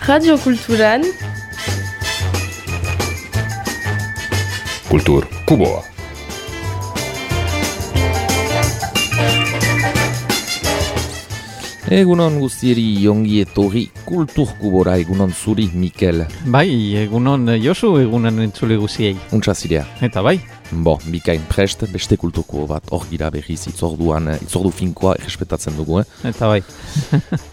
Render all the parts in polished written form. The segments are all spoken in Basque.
Radio Kulturan Kultur Kuboa. Egunon guztieri ongi etorri Kultur Kubora, egunon zuri, Mikel. Bai, egunon Josu, egunon entzule guziei. Untsa zirea. Eta bai. Bikain prest, beste Kultur Kubo bat hor gira berriz itzordu finkoa errespetatzen dugu. Eta bai.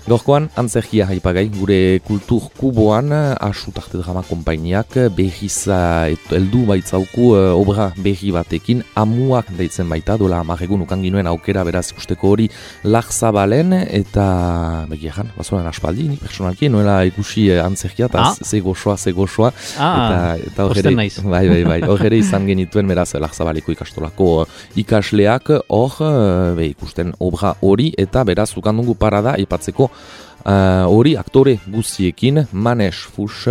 Gaurkoan, antzerkia haipagai, gure Kultur Kuboan, Asutarte Drama Konpainiak berriz heldu baitzauku obra berri batekin, amuak deitzen baita, dola amarregun ukan ginuen aukera beraz ikusteko hori Larzabalen, eta begiajan, bazoran aspaldi, nik personalki, noela ikusi antzerkia, eta ze goxoa. Eta hor ere, bai, hor ere izan genituen beraz Larzabaleko ikastolako ikasleak hor ikusten obra hori, eta beraz ukandungu parada aipatzeko hori aktore guztiekin, Manes Fuchs,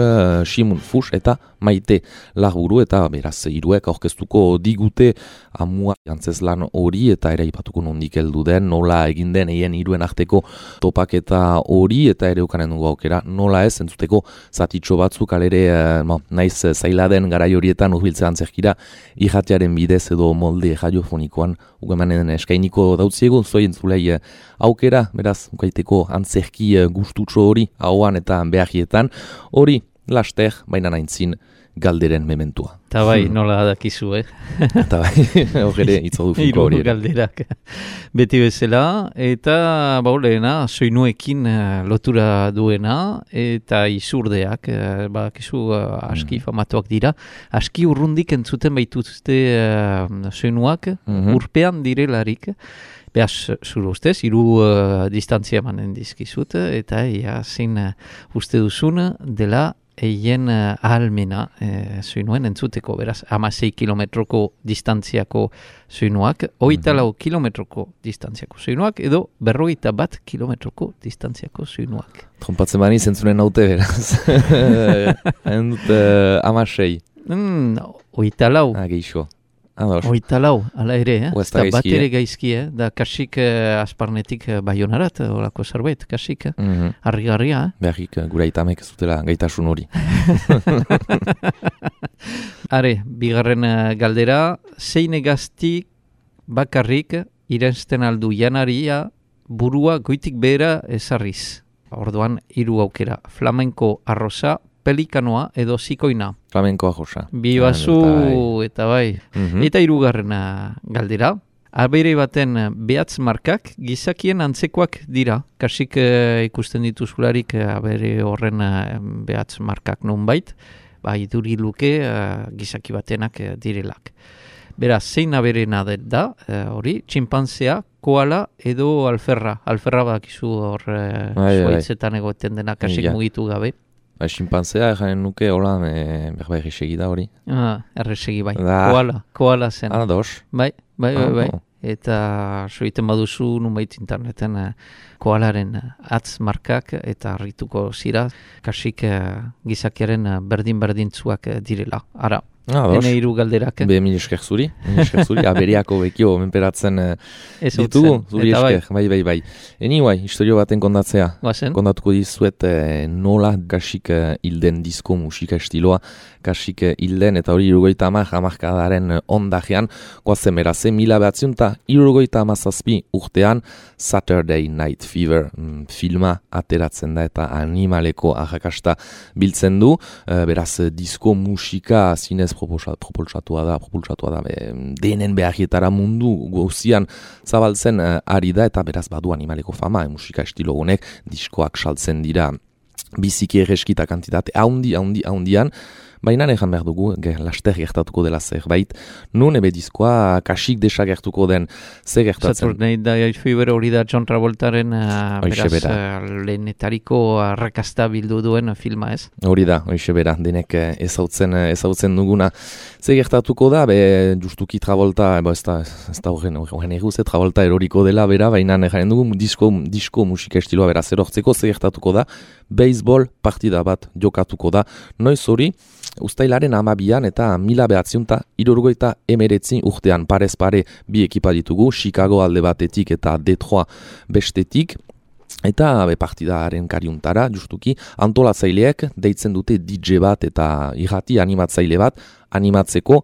Simun Fuchs eta Maite Larburu, eta beraz hiruek aurkeztuko digute amua antzeslan hori, eta ere aipatuko nondik heldu den, nola egin den eien hiruen arteko topaketa hori, eta ere ukanen dugu aukera, nola ez, entzuteko zatitxo batzuk, alere naiz zaila den garai horietan urbiltzea antzerkira, irratiaren bidez edo molde radiofonikoan ugemanen eskainiko dautziegu, zoi entzulei aukera, beraz, ukaiteko antzerki gustutxo hori, hauan eta beharrietan, hori laster, baina naintzin, galderen mementua. Eta bai, nola dakizu, Eta bai, horre itzodu finko hori. Hiru galderak. Beti bezala, eta lehena, soinuekin lotura duena, eta izurdeak, bakizu aski famatuak dira, aski urrundik entzuten baituzte soinuak, urpean direlarik, behaz, zure ustez, hiru distantzia emanen dizkizut, eta zein uste duzun dela eien ahalmena soinuen entzuteko, beraz, 16 kilometroko distantziako soinuak, 24 kilometroko distantziako soinuak, edo 41 kilometroko distantziako soinuak. Trompatzen bani zentzunen naute, beraz. Hain dut 16. 24. Geixo. 24, ala ere, eta bat ere gaizki, da kasik asparnetik baionarat, olako zerbait, kasik, harrigarria. Beharrik, gura itamek ez dutela gaitasun hori. Are, bigarren galdera, zein egaztik bakarrik irensten aldu janaria burua goitik behera ezarriz. Orduan, hiru aukera, flamenko arroza, pelikanoa edo zikoina. Flamenko arroza. Bi bazu eta bai. Eta hirugarrena galdera. Abere baten behatz markak gizakien antzekoak dira. Kasik ikusten dituzularik abere horren behatz markak nonbait. Iduri luke gizaki batenak direlak. Beraz, zein aberena da, hori, txinpanzea, koala edo alferra. Alferra bakizu hor zuaitzetan egoten dena kasik mugitu gabe. Ximpanzea erranen nuke, hola, berba erresegi da hori. Erresegi bai, koala zen. Dos. Bai. Eta soiten baduzu nunbait interneten koalaren atz markak eta harrituko zira, kasik gizakiaren berdin-berdintzuak direla. Ara, hene hiru galderak. Mil esker zuri, aberiako bekio menperatzen ditugu, zuri esker, bai. Anyway, historio baten kondatzea. Kondatuko dizuet nola kasik hilden disko musika estiloa, kasik hilden, eta hori 70 hamarkadaren ondajean, goazen beraz, 1977 urtean Saturday Night Fever filma ateratzen da eta animaleko arrakasta biltzen du, beraz disko musika zinez propulsatua da, denen beharrietara mundu gauzian zabaltzen ari da, eta beraz badu animaleko fama, musika estilo honek diskoak saltzen dira biziki erreskita kantitate haundian, baina ejan behar dugu, laster gertatuko dela zerbait, nun ebe diskoa kasik desagertuko den zer gertatzen. Saturday Night Fever hori da John Travoltaren beraz lehenetariko arrakasta bildu duen filma, ez? Hori da, hoxe bera, denek ezautzen duguna. Zer gertatuko da, justuki Travolta, ez da horren eguz, Travolta eroriko dela, bera, baina jaren dugu disko musika estiloa beraz erortzeko, zer gertatuko da, baseball partida bat jokatuko da, noiz hori, Uztailaren 12an eta 1979 urtean parez pare bi ekipa ditugu, Chicago alde batetik eta Detroit bestetik. Eta partidaren kariuntara, justuki, antolatzaileek deitzen dute DJ bat eta irrati animatzaile bat animatzeko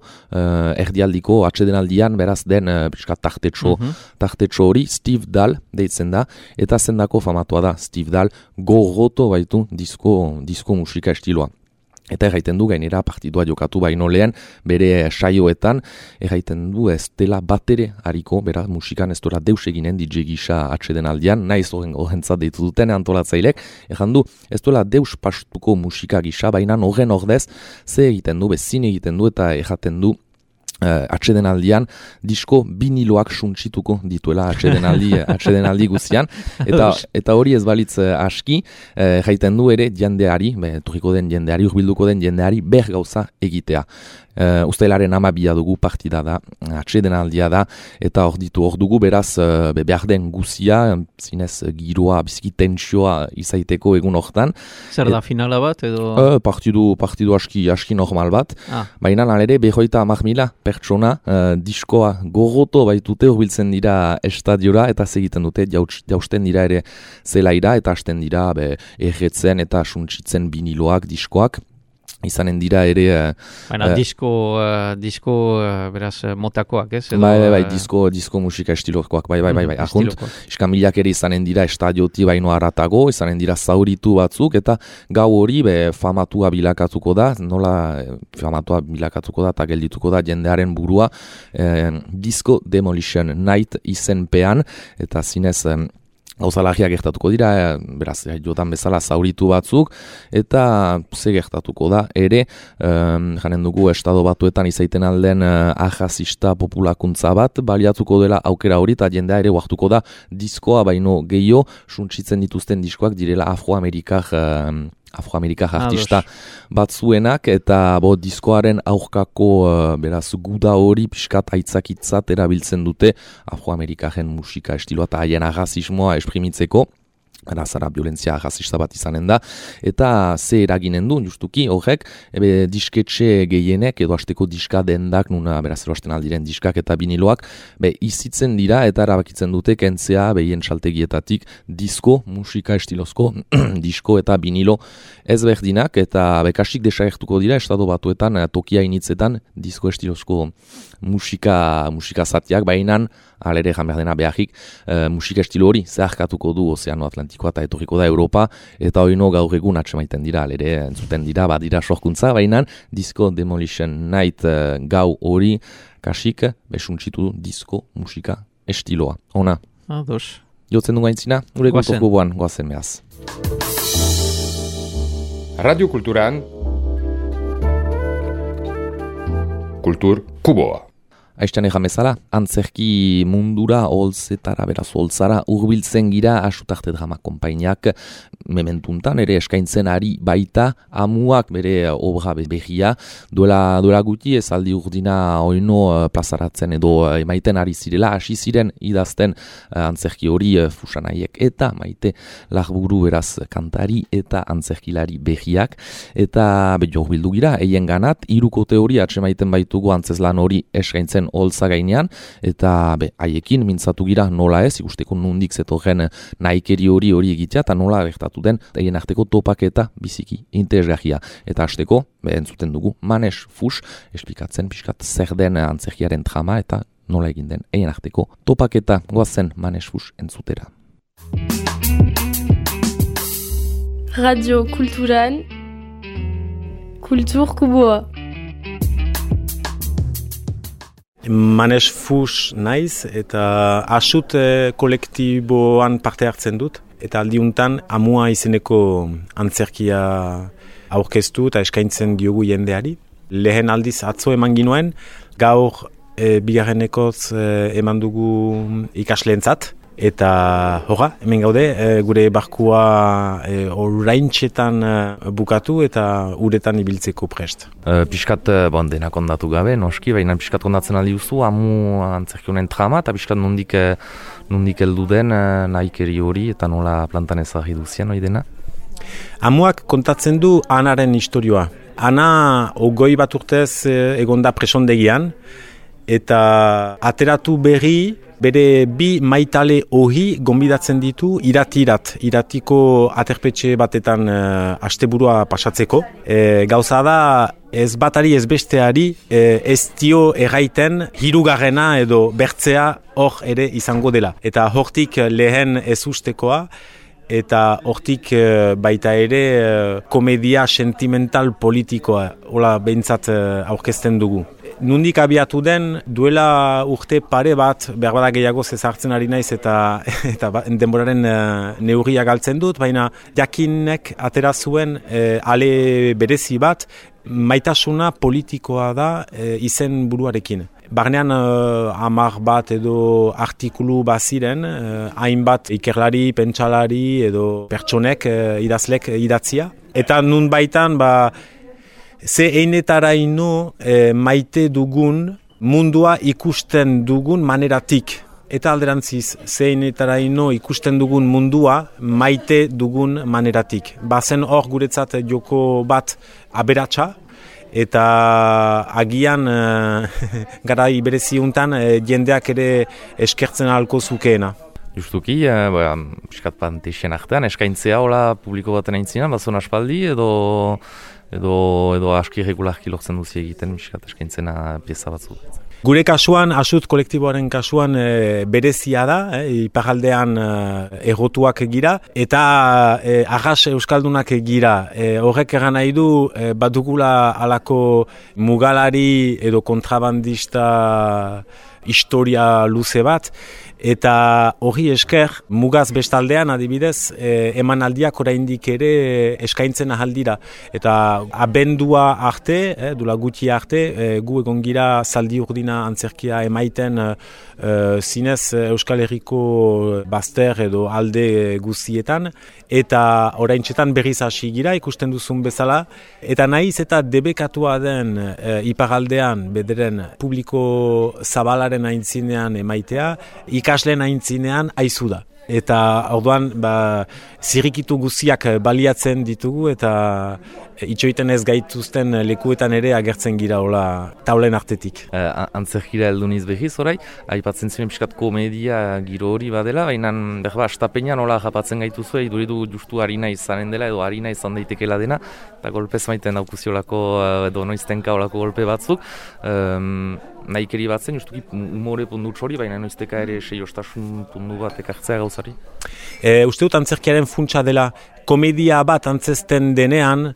erdialdiko atsedenaldian beraz den tartetxo hori Steve Dahl deitzen da, eta zendako famatua da Steve Dahl gogoto baitu disko musika estiloa. Eta erraiten du gainera partidua jokatu baino lehen bere saioetan, erraiten du ez dela batere hariko, beraz musikan ez dora deus eginen DJ gisa atseden aldian, naiz horrentzat deitu duten antolatzailek, erran du ez dela deus pastuko musika gisa, baina horren ordez ze egiten du, bezin egiten du eta erraten du atsedenaldian disko biniloak suntsituko dituela atsedenaldi guzian, eta hori ez balitz aski, jaiten du ere jendeari, turriko den jendeari, urbilduko den jendeari ber gauza egitea. Uztailaren 12 dugu partida da, atsedenaldia da, eta hor dugu beraz behar den guzia, zinez giroa, biziki tentsioa izaiteko egun hortan. Zer da finala bat edo? Partidu aski normal bat, baina alere 50.000 pertsona diskoa gogoto baitute hurbiltzen dira estadiora eta segiten dute jausten dira ere zelaira eta hasten dira erretzen eta suntsitzen biniloak, diskoak. Izanen dira ere... Baina disko beraz motakoak, ez? Bai, disko musika estilokoak, bai, ahunt. Iskamilak ere izanen dira estadioti baino aratago, izanen dira zauritu batzuk, eta gau hori famatua bilakatuko da, nola famatua bilakatuko da, eta geldituko da jendearen burua, Disco Demolition Night izenpean, eta zinez... Gauzalagiak gertatuko dira, beraz, jotan bezala zauritu batzuk, eta ze gertatuko da, ere, janen dugu estado batuetan izaiten alden ajazista populakuntza bat, baliatuko dela aukera hori, eta jendea ere huartuko da diskoa baino gehiago, suntsitzen dituzten diskoak direla afroamerikar artista batzuenak, eta diskoaren aurkako beraz guda hori pixkat aitzakitzat erabiltzen dute afroamerikaren musika estiloa eta haien arrazismoa esprimitzeko. Zara violentzia arrazista bat izanen da, eta ze eraginen du, justuki, horrek, disketxe gehienek, edo hasteko diska dendak, nuna beraz eroasten aldiren diskak eta biniloak, izitzen dira eta erabakitzen dute kentzea behien saltegietatik disko, musika estilozko, disko eta binilo ezberdinak, eta kasik desagertuko dira, estado batuetan, tokia initzetan, disko estilozko musika zatiak, bainan, alere jan behar dena beharik, musika estilo hori zeharkatuko du Ozeano Atlantikoa eta etorriko da Europa, eta hori gaur egun atsemaiten dira, alere entzuten dira, badira sorkuntza, bainan, Disco Demolition Night gau hori kasik besuntsitu disko musika estiloa. Ona. Ados. Jotzen du gaintzina, gure kulturko boan, goazen behaz. Radio Kulturan Kultur Kuboa. Aiztan egan bezala, antzerki mundura, holzetara, beraz, holtzara, urbiltzen gira, Asutarte Drama Konpainiak, mementuntan, ere eskaintzen ari baita, amuak bere obra behia, duela guti ez aldi urdina oino plazaratzen edo emaiten ari zirela, hasi ziren idazten antzerki hori fusanaiek eta maite larburu beraz kantari eta antzerkilari behiak, eta jo bildu gira, eien ganat, irukote hori atsemaiten baitugu antzeslan hori eskaintzen holtza gainean, eta haiekin mintzatu gira nola ez, ikusteko nundik zetorren nahikeri hori egitea, eta nola gertatu den, egin arteko topaketa biziki interesgarria. Eta hasteko, entzuten dugu, Manes Fus, esplikatzen pixkat zer den antzerkiaren trama, eta nola egin den, egin arteko topaketa goazen Manes Fus entzutera. Radio Kulturan, Kultur Kuboa. Manes Fus naiz eta Asut kolektiboan parte hartzen dut. Eta aldiuntan amua izeneko antzerkia aurkeztu eta eskaintzen diogu jendeari. Lehen aldiz atzo eman ginuen, gaur bigarrenekoz eman dugu ikasleentzat. Eta hemen gaude, gure barkua oraintxetan bukatu eta uretan ibiltzeko prest. Piskat denak ondatu gabe, noski, baina piskat ondatzen aldi duzu, amu antzerkionen trama, eta piskat nondik heldu den nahikeri hori, eta nola plantan ezagri duzien hori dena? Amuak kontatzen du Anaren istorioa. Ana 20 bat urtez egonda presondegian, eta ateratu berri, bere bi maitale ohi gonbidatzen ditu iratiko aterpetxe batetan asteburua pasatzeko. Gauza da, ez batari ez besteari ez dio erraiten hirugarrena edo bertzea hor ere izango dela. Eta hortik lehen ez ustekoa, eta hortik baita ere komedia sentimental politikoa, hola behintzat aurkezten dugu. Nundik abiatu den, duela urte pare bat, behar bada gehiago zezartzen ari naiz eta denboraren neurria galtzen dut, baina jakinek atera zuen ale berezi bat, maitasuna politikoa da izen buruarekin. Barnean 10 bat edo artikulu baziren, hainbat ikerlari, pentsalari edo pertsonek idazlek idatzia. Eta nun baitan, ze einetaraino maite dugun mundua ikusten dugun maneratik. Eta alderantziz, ze einetaraino ikusten dugun mundua maite dugun maneratik. Bazen hor guretzat joko bat aberatsa, eta agian garai bereziuntan jendeak ere eskertzen ahalko zukeena. Justuki, piskat panteixen artean, eskaintzea hola publiko baten aintzinan, bazon aspaldi edo aski regularki lortzen duzi egiten piskat eskaintzena pieza batzuk. Gure kasuan, asut kolektiboaren kasuan berezia da, iparraldean errotuak gira, eta arras euskaldunak gira. Horrek egan nahi du, badugula alako mugalari edo kontrabandista historia luze bat, eta hori esker, mugaz bestaldean adibidez, emanaldiak oraindik ere eskaintzen ahaldira. Eta abendua arte, dula gutxi arte, gu egon gira zaldi urdina antzerkia emaiten zinez Euskal Herriko bazter edo alde guztietan, eta oraintxetan berriz hasi gira ikusten duzun bezala, eta nahiz eta debekatua den iparaldean bederen publiko zabalaren aintzinean emaitea, ikasleen aintzinean aizu da. Eta orduan zirrikitu guztiak baliatzen ditugu eta itxoiten ez gaituzten lekuetan ere agertzen gira hola taulen artetik. Antzerkira heldu niz behiz orai, aipatzen ziren piskat komedia giro hori badela, baina astapenean hola japatzen gaituzu, iduridu justu harina izanen dela edo harina izan daitekela dena, eta golpez maiten daukuziolako edo noiztenka olako golpe batzuk. Nahikeri batzen, justuki humore pundutxo hori, baina noizteka ere seiostasun pundu bat ekartzea gauzari? Uste dut antzerkiaren funtsa dela komedia bat antzesten denean,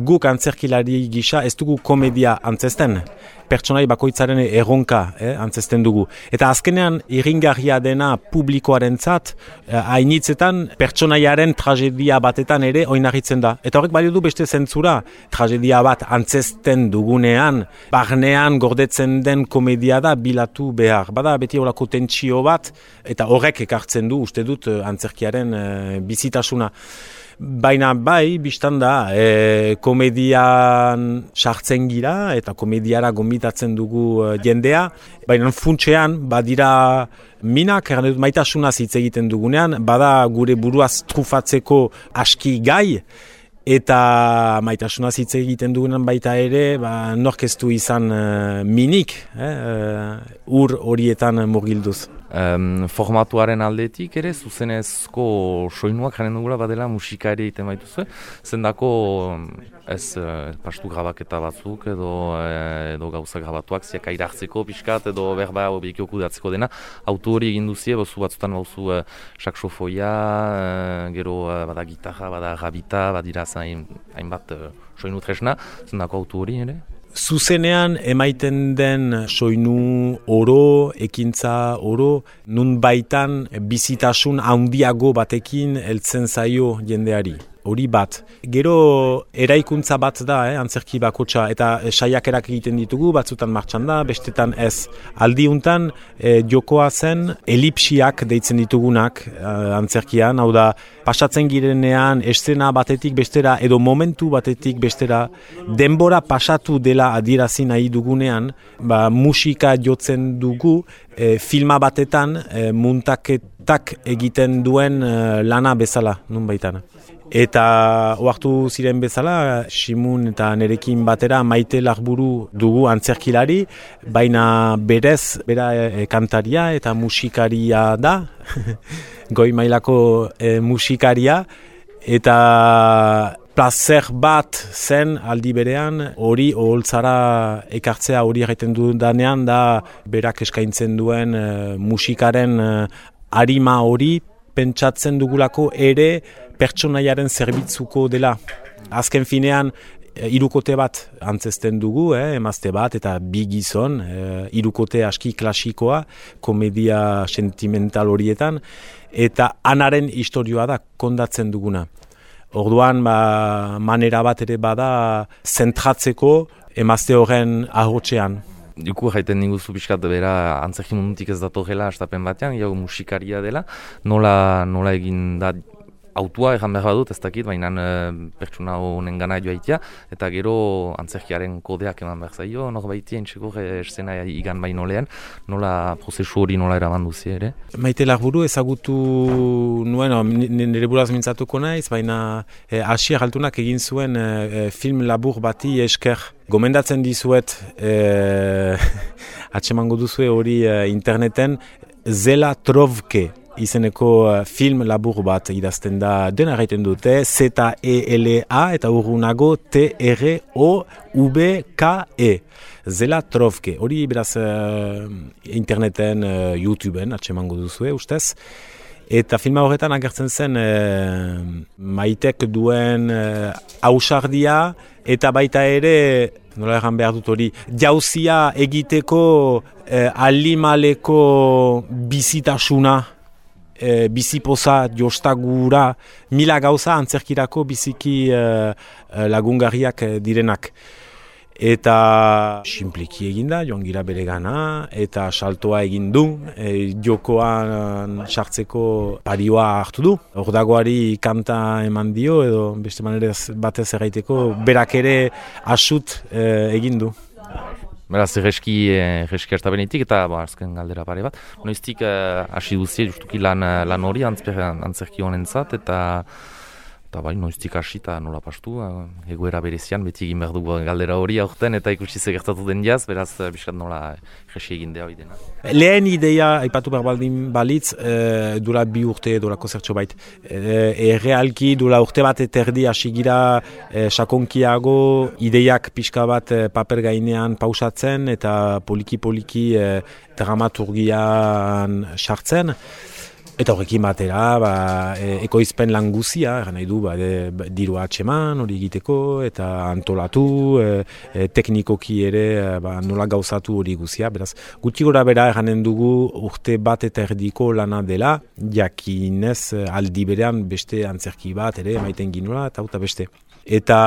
guk antzerkilari gisa ez dugu komedia antzesten. Pertsonai bakoitzaren erronka antzesten dugu. Eta azkenean irringarria dena publikoarentzat, hainitzetan pertsonaiaren tragedia batetan ere oinarritzen da. Eta horrek balio du beste zentzura, tragedia bat antzesten dugunean, barnean gordetzen den komedia da bilatu behar. Bada beti horako tentsio bat, eta horrek ekartzen du uste dut antzerkiaren bizitasuna. Baina bai, biztan da, komedian sartzen gira eta komediara gonbitatzen dugu jendea, baina funtsean badira minak, maitasuna hitz egiten dugunean, bada gure buruaz trufatzeko aski gai, eta maitasuna hitz egiten dugunean baita ere, nork ez du izan minik, ur horietan murgilduz. Formatuaren aldetik ere, zuzenezko soinuak jaren dugula badela musika ere egiten baituzue, zendako ez pastu grabaketa batzuk edo gauza grabatuak ziaka irartzeko pixkat edo berba obekio kudatzeko dena, auto hori egin duzie, bozu batzutan bauzu saksofoia, gero bada gitarra, bada rabita, badira hainbat soinu tresna, zendako auto hori ere? Zuzenean emaiten den soinu oro, ekintza oro, nun baitan bizitasun handiago batekin heltzen zaio jendeari. Hori bat. Gero eraikuntza bat da, antzerki bakotxa, eta saiakerak egiten ditugu, batzutan martxan da, bestetan ez. Aldiuntan jokoa zen elipsiak deitzen ditugunak antzerkian, hau da, pasatzen girenean eszena batetik bestera edo momentu batetik bestera, denbora pasatu dela adierazi nahi dugunean, musika jotzen dugu, filma batetan muntaketak egiten duen lana bezala, nun baitan. Eta ohartu ziren bezala, Simun eta nerekin batera Maite Larburu dugu antzerkilari, baina berez, bera kantaria eta musikaria da, goi mailako musikaria, eta plazer bat zen aldi berean, hori oholtzara ekartzea hori egiten dudanean da berak eskaintzen duen musikaren arima hori pentsatzen dugulako ere pertsonaiaren zerbitzuko dela. Azken finean, hirukote bat antzesten dugu, emazte bat eta bi gizon, hirukote aski klasikoa, komedia sentimental horietan, eta anaren istorioa da kondatzen duguna. Orduan, manera bat ere bada zentratzeko emazte horren ahotsean. Juku jaiten diguzu pixkat bera antzerki mundutik ez datorrela astapen batean, jau musikaria dela, nola egin da autua egan behar badut, ez dakit, baina pertsona honen gana joaitea, eta gero antzerkiaren kodeak eman behar zaio, norbaitia entxeko escena igan baino lehen, nola prozesu hori nola eraman duzi ere? Maite Larburu ezagutu nuen, nire buraz mintzatuko naiz, baina Asier Altunak egin zuen film labur bati esker. Gomendatzen dizuet, atsemango duzue hori interneten, Zela Trovke izeneko film labur bat idazten da, dena gaiten dute, Z-E-L-A eta urrunago T-R-O-V-K-E. Zela Trovke, hori beraz interneten, YouTubeen atsemango duzue, ustez. Eta filma horretan agertzen zen Maitek duen ausardia eta baita ere, nola egan behar dut hori, jauzia egiteko alimaleko bizitasuna, bizipoza, jostagura, mila gauza antzerkirako biziki lagungarriak direnak. Eta sinpliki eginda, joan gira bere gana, eta saltoa egin du, jokoan sartzeko parioa hartu du. Ordagoari kanta eman dio, edo beste manerez batez erraiteko, berak ere asut egin du. Beraz, erreski hartabenetik eta azken galdera pare bat. Noiztik hasi duzie, justuki lan hori antzerki honentzat, eta bai, noiztik hasi eta nola pastu, egoera berezian, beti egin behar dugu galdera hori aurten, eta ikusi gertatu den jaz, beraz, biskat nola erresi egin dea hori dena. Lehen ideia, aipatu behar baldin balitz, dura 2 urte, durako zertxo bait. Errealki, dura urte bat eterdi hasi gira sakonkiago, ideiak pixka bat paper gainean pausatzen, eta poliki-poliki dramaturgian sartzen. Eta horrekin batera, ekoizpen lan guzia, nahi du, dirua atxeman hori egiteko, eta antolatu, teknikoki ere nola gauzatu hori guzia. Beraz, gutxi gora bera eranen dugu urte bat eta erdiko lana dela, jakinez aldi berean beste antzerki bat ere, maiten ginula, eta beste. Eta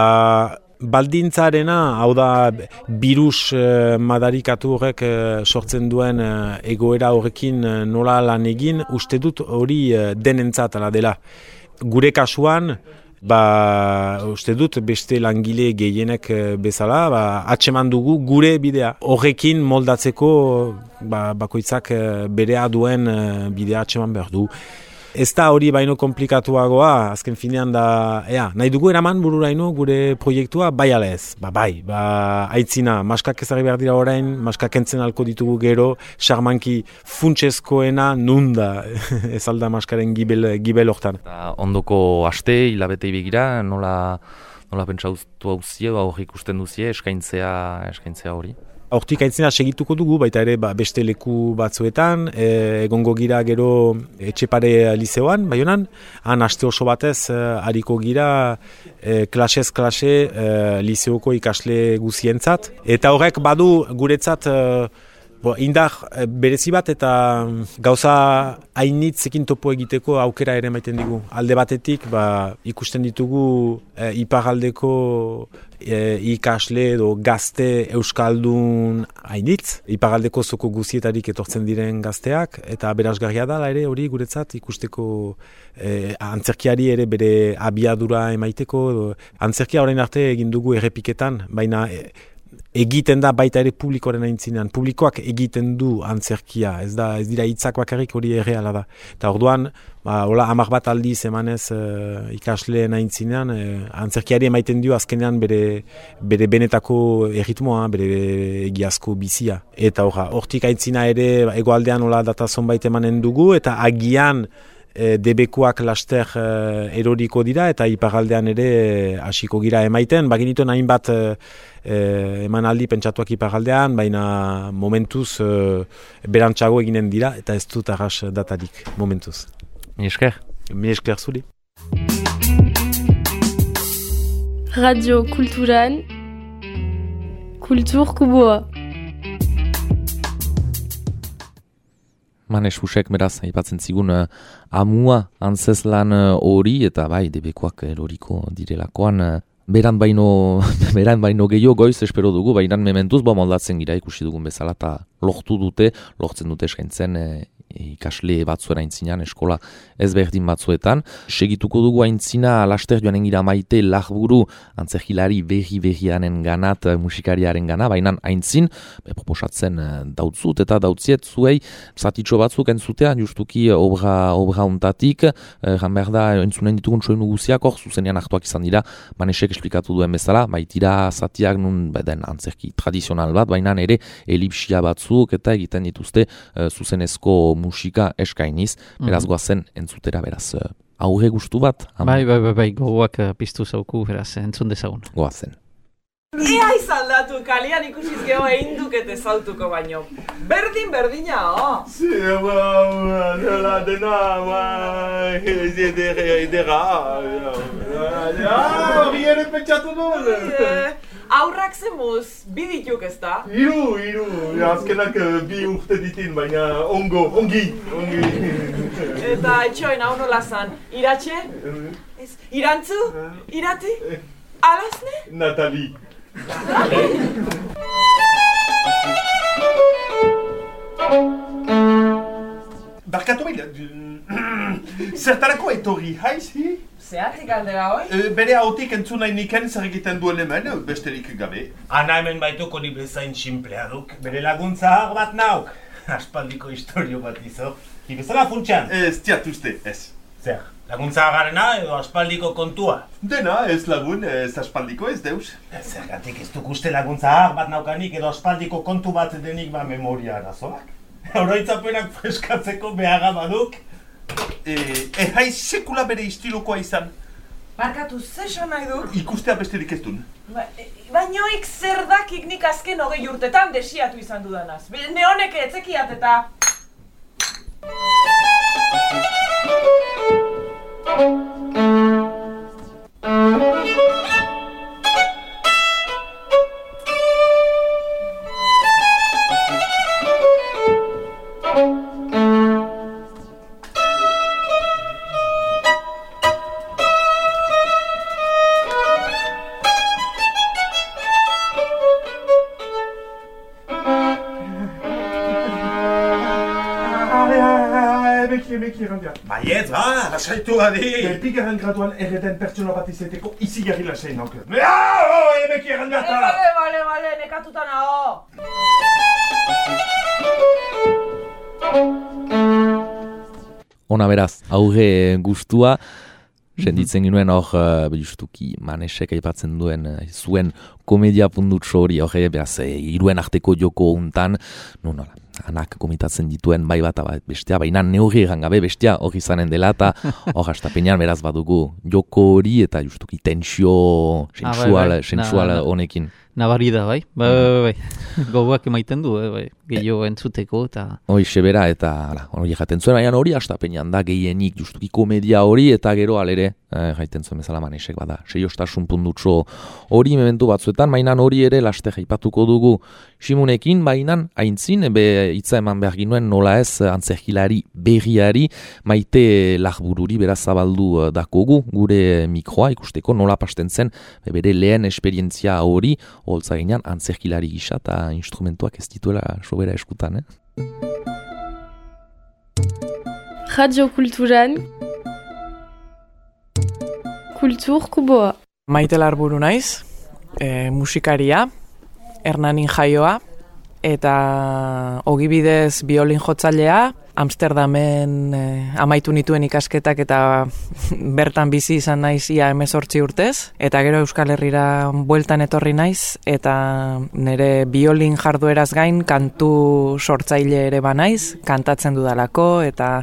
baldintzarena, hau da, birus madarikatu horrek sortzen duen egoera horrekin nola lan egin, uste dut hori denentzat ala dela. Gure kasuan, uste dut beste langile gehienek bezala, atseman dugu gure bidea. Horrekin moldatzeko bakoitzak berea duen bidea atseman behar du. Ez da hori baino komplikatuagoa, azken finean da, nahi dugu eraman bururaino gure proiektua, bai ala ez, aitzina, maskak ezagri behar dira orain, maskak entzen alko ditugu gero, xarmanki funtsezkoena nunda, ez alda maskaren gibel hortan. Ondoko aste, hilabete begira, nola pentsautu hauzie, hori ikusten duzie, eskaintzea hori? Hortik aitzena segituko dugu, baita ere beste leku batzuetan, egongo gira gero Etxepare lizeoan, Baionan, han aste oso batez hariko gira klasez klase lizeoko ikasle guzientzat. Eta horrek badu guretzat indar berezi bat eta gauza hainitzekin topo egiteko aukera ere maiten digu. Alde batetik ikusten ditugu iparraldeko ikasle edo gazte euskaldun hainitz, iparraldeko zoko guzietarik etortzen diren gazteak, eta berazgarria da ere hori guretzat ikusteko antzerkiari ere bere abiadura emaiteko. Antzerkia orain arte egin dugu errepiketan, baina egiten da baita ere publikoaren aintzinean. Publikoak egiten du antzerkia, ez dira hitzak bakarrik, hori erreala da. Eta orduan, hola 10 bat aldiz emanez ikasleen aintzinean, antzerkiari emaiten dio azkenean bere benetako erritmoa, bere egiazko bizia. Eta hortik aintzina ere hegoaldean hola data zonbait emanen dugu, eta agian debekuak laster eroriko dira, eta iparaldean ere hasiko gira emaiten. Baginituen hainbat emanaldi pentsatuak iparaldean, baina momentuz berantzago eginen dira, eta ez dut arras datarik momentuz. Mi esker. Mi esker zuri. Radio Kulturan, Kultur Kuboa. Manes Husek beraz, aipatzen zigun amua antzeslan hori, eta bai, debekuak eroriko direlakoan, beran baino gehiago goiz espero dugu, baina mementuz moldatzen gira ikusi dugun bezala, eta lortzen dute eskaintzen ikasle batzuera aintzinean, eskola ezberdin batzuetan. Segituko dugu aintzina, laster joanen gira Maite Larburu, antzerkilari berrianen ganat, musikariaren gana, baina aintzin, proposatzen dautzut eta dautziet zuei, zatitxo batzuk entzutea, justuki obra untatik, jan behar da, entzunen ditugun soinu guziak, hor zuzenean hartuak izan dira, Manesek esplikatu duen bezala, baitira zatiak nun, den antzerki tradizional bat, baina ere elipsia batzuk, eta egiten dituzte zuzenezko musika eskainiz, beraz goazen entzutera, beraz aurre gustu bat. Bai, gogoak piztu zauku, beraz entzun dezagun. Goazen. Ea izaldatu, kalian ikusiz geho egin dukete zautuko baino. Berdina, Hori ere pentsatu duen. Aurrak zemuz, bi dituk ez da? Hiru, azkenak 2 urte ditin, baina ongi. Eta etxoen hau nola zan, iratxe? Irantzu? Irati? Alazne? Natali. Barkatu bila, zertarako etorri haizi? Zehatik aldera hoi? Bere hautik entzun nahi niken zer egiten duen hemen, besterik gabe. Ana hemen baituko ni bezain simplea duk. Bere laguntza bat nauk. Aspaldiko historio bat izo. Ibezala funtxan? Ez tiatuzte, ez. Zer, laguntza agarrena edo aspaldiko kontua? Dena, ez lagun, ez aspaldiko, ez deus. Zergatik ez duk uste laguntza bat naukanik edo aspaldiko kontu bat denik memoria arazoak. Oroitzapenak freskatzeko beharra baduk. Haiz sekula bere istilokoa izan. Barkatu, zesan nahi du? Ikustea besterik ez duen. Bainoik zer dakik nik azken 20 urtetan desiatu izan dudanaz. Neonek etzekiat eta... Baiet, lasaitu gadi! Bigarren graduan erreten pertsona bat izeteko izi jarri lasain nauke. Emeki errandiata! Bale, nekatuta naho! Ona beraz, aurre gustua, senditzen ginuen hor, justuki Manesek aipatzen duen zuen komedia pundutxo hori, hor beraz, hiruen arteko joko untan, nola, anak komitatzen dituen bai bat bestea, baina neurri egan gabe bestea hor izanen dela, eta hor hastapenean beraz badugu joko hori eta justuki tensio sensual honekin. Nabari da, bai? Bai. Gogoak emaiten du, bai. Gehiago entzuteko eta... Hoixe bera eta hori jaten zuen, baina hori hastapenean da gehienik justuki komedia hori eta gero alere, jaiten zuen bezala Manesek bada, seiostasun pundutxo hori mementu batzuetan, baina hori ere laste jaipatuko dugu Simunekin, baina aintzin, hitza eman behar ginuen nola ez antzerkilari berriari Maite Larbururi beraz zabaldu dakogu gure mikroa ikusteko nola pasten zen bere lehen esperientzia hori holtza ginean antzerkilari gisa eta instrumentuak ez dituela sobera eskutan, Radio Kulturan, Kultur Kuboa. Maite Larburu naiz, musikaria, Hernanin jaioa, eta ogibidez biolin jotzailea, Amsterdamen amaitu nituen ikasketak eta bertan bizi izan naiz ia 18 urtez, eta gero Euskal Herrira bueltan etorri naiz, eta nire biolin jardueraz gain kantu sortzaile ere banaiz, kantatzen dudalako, eta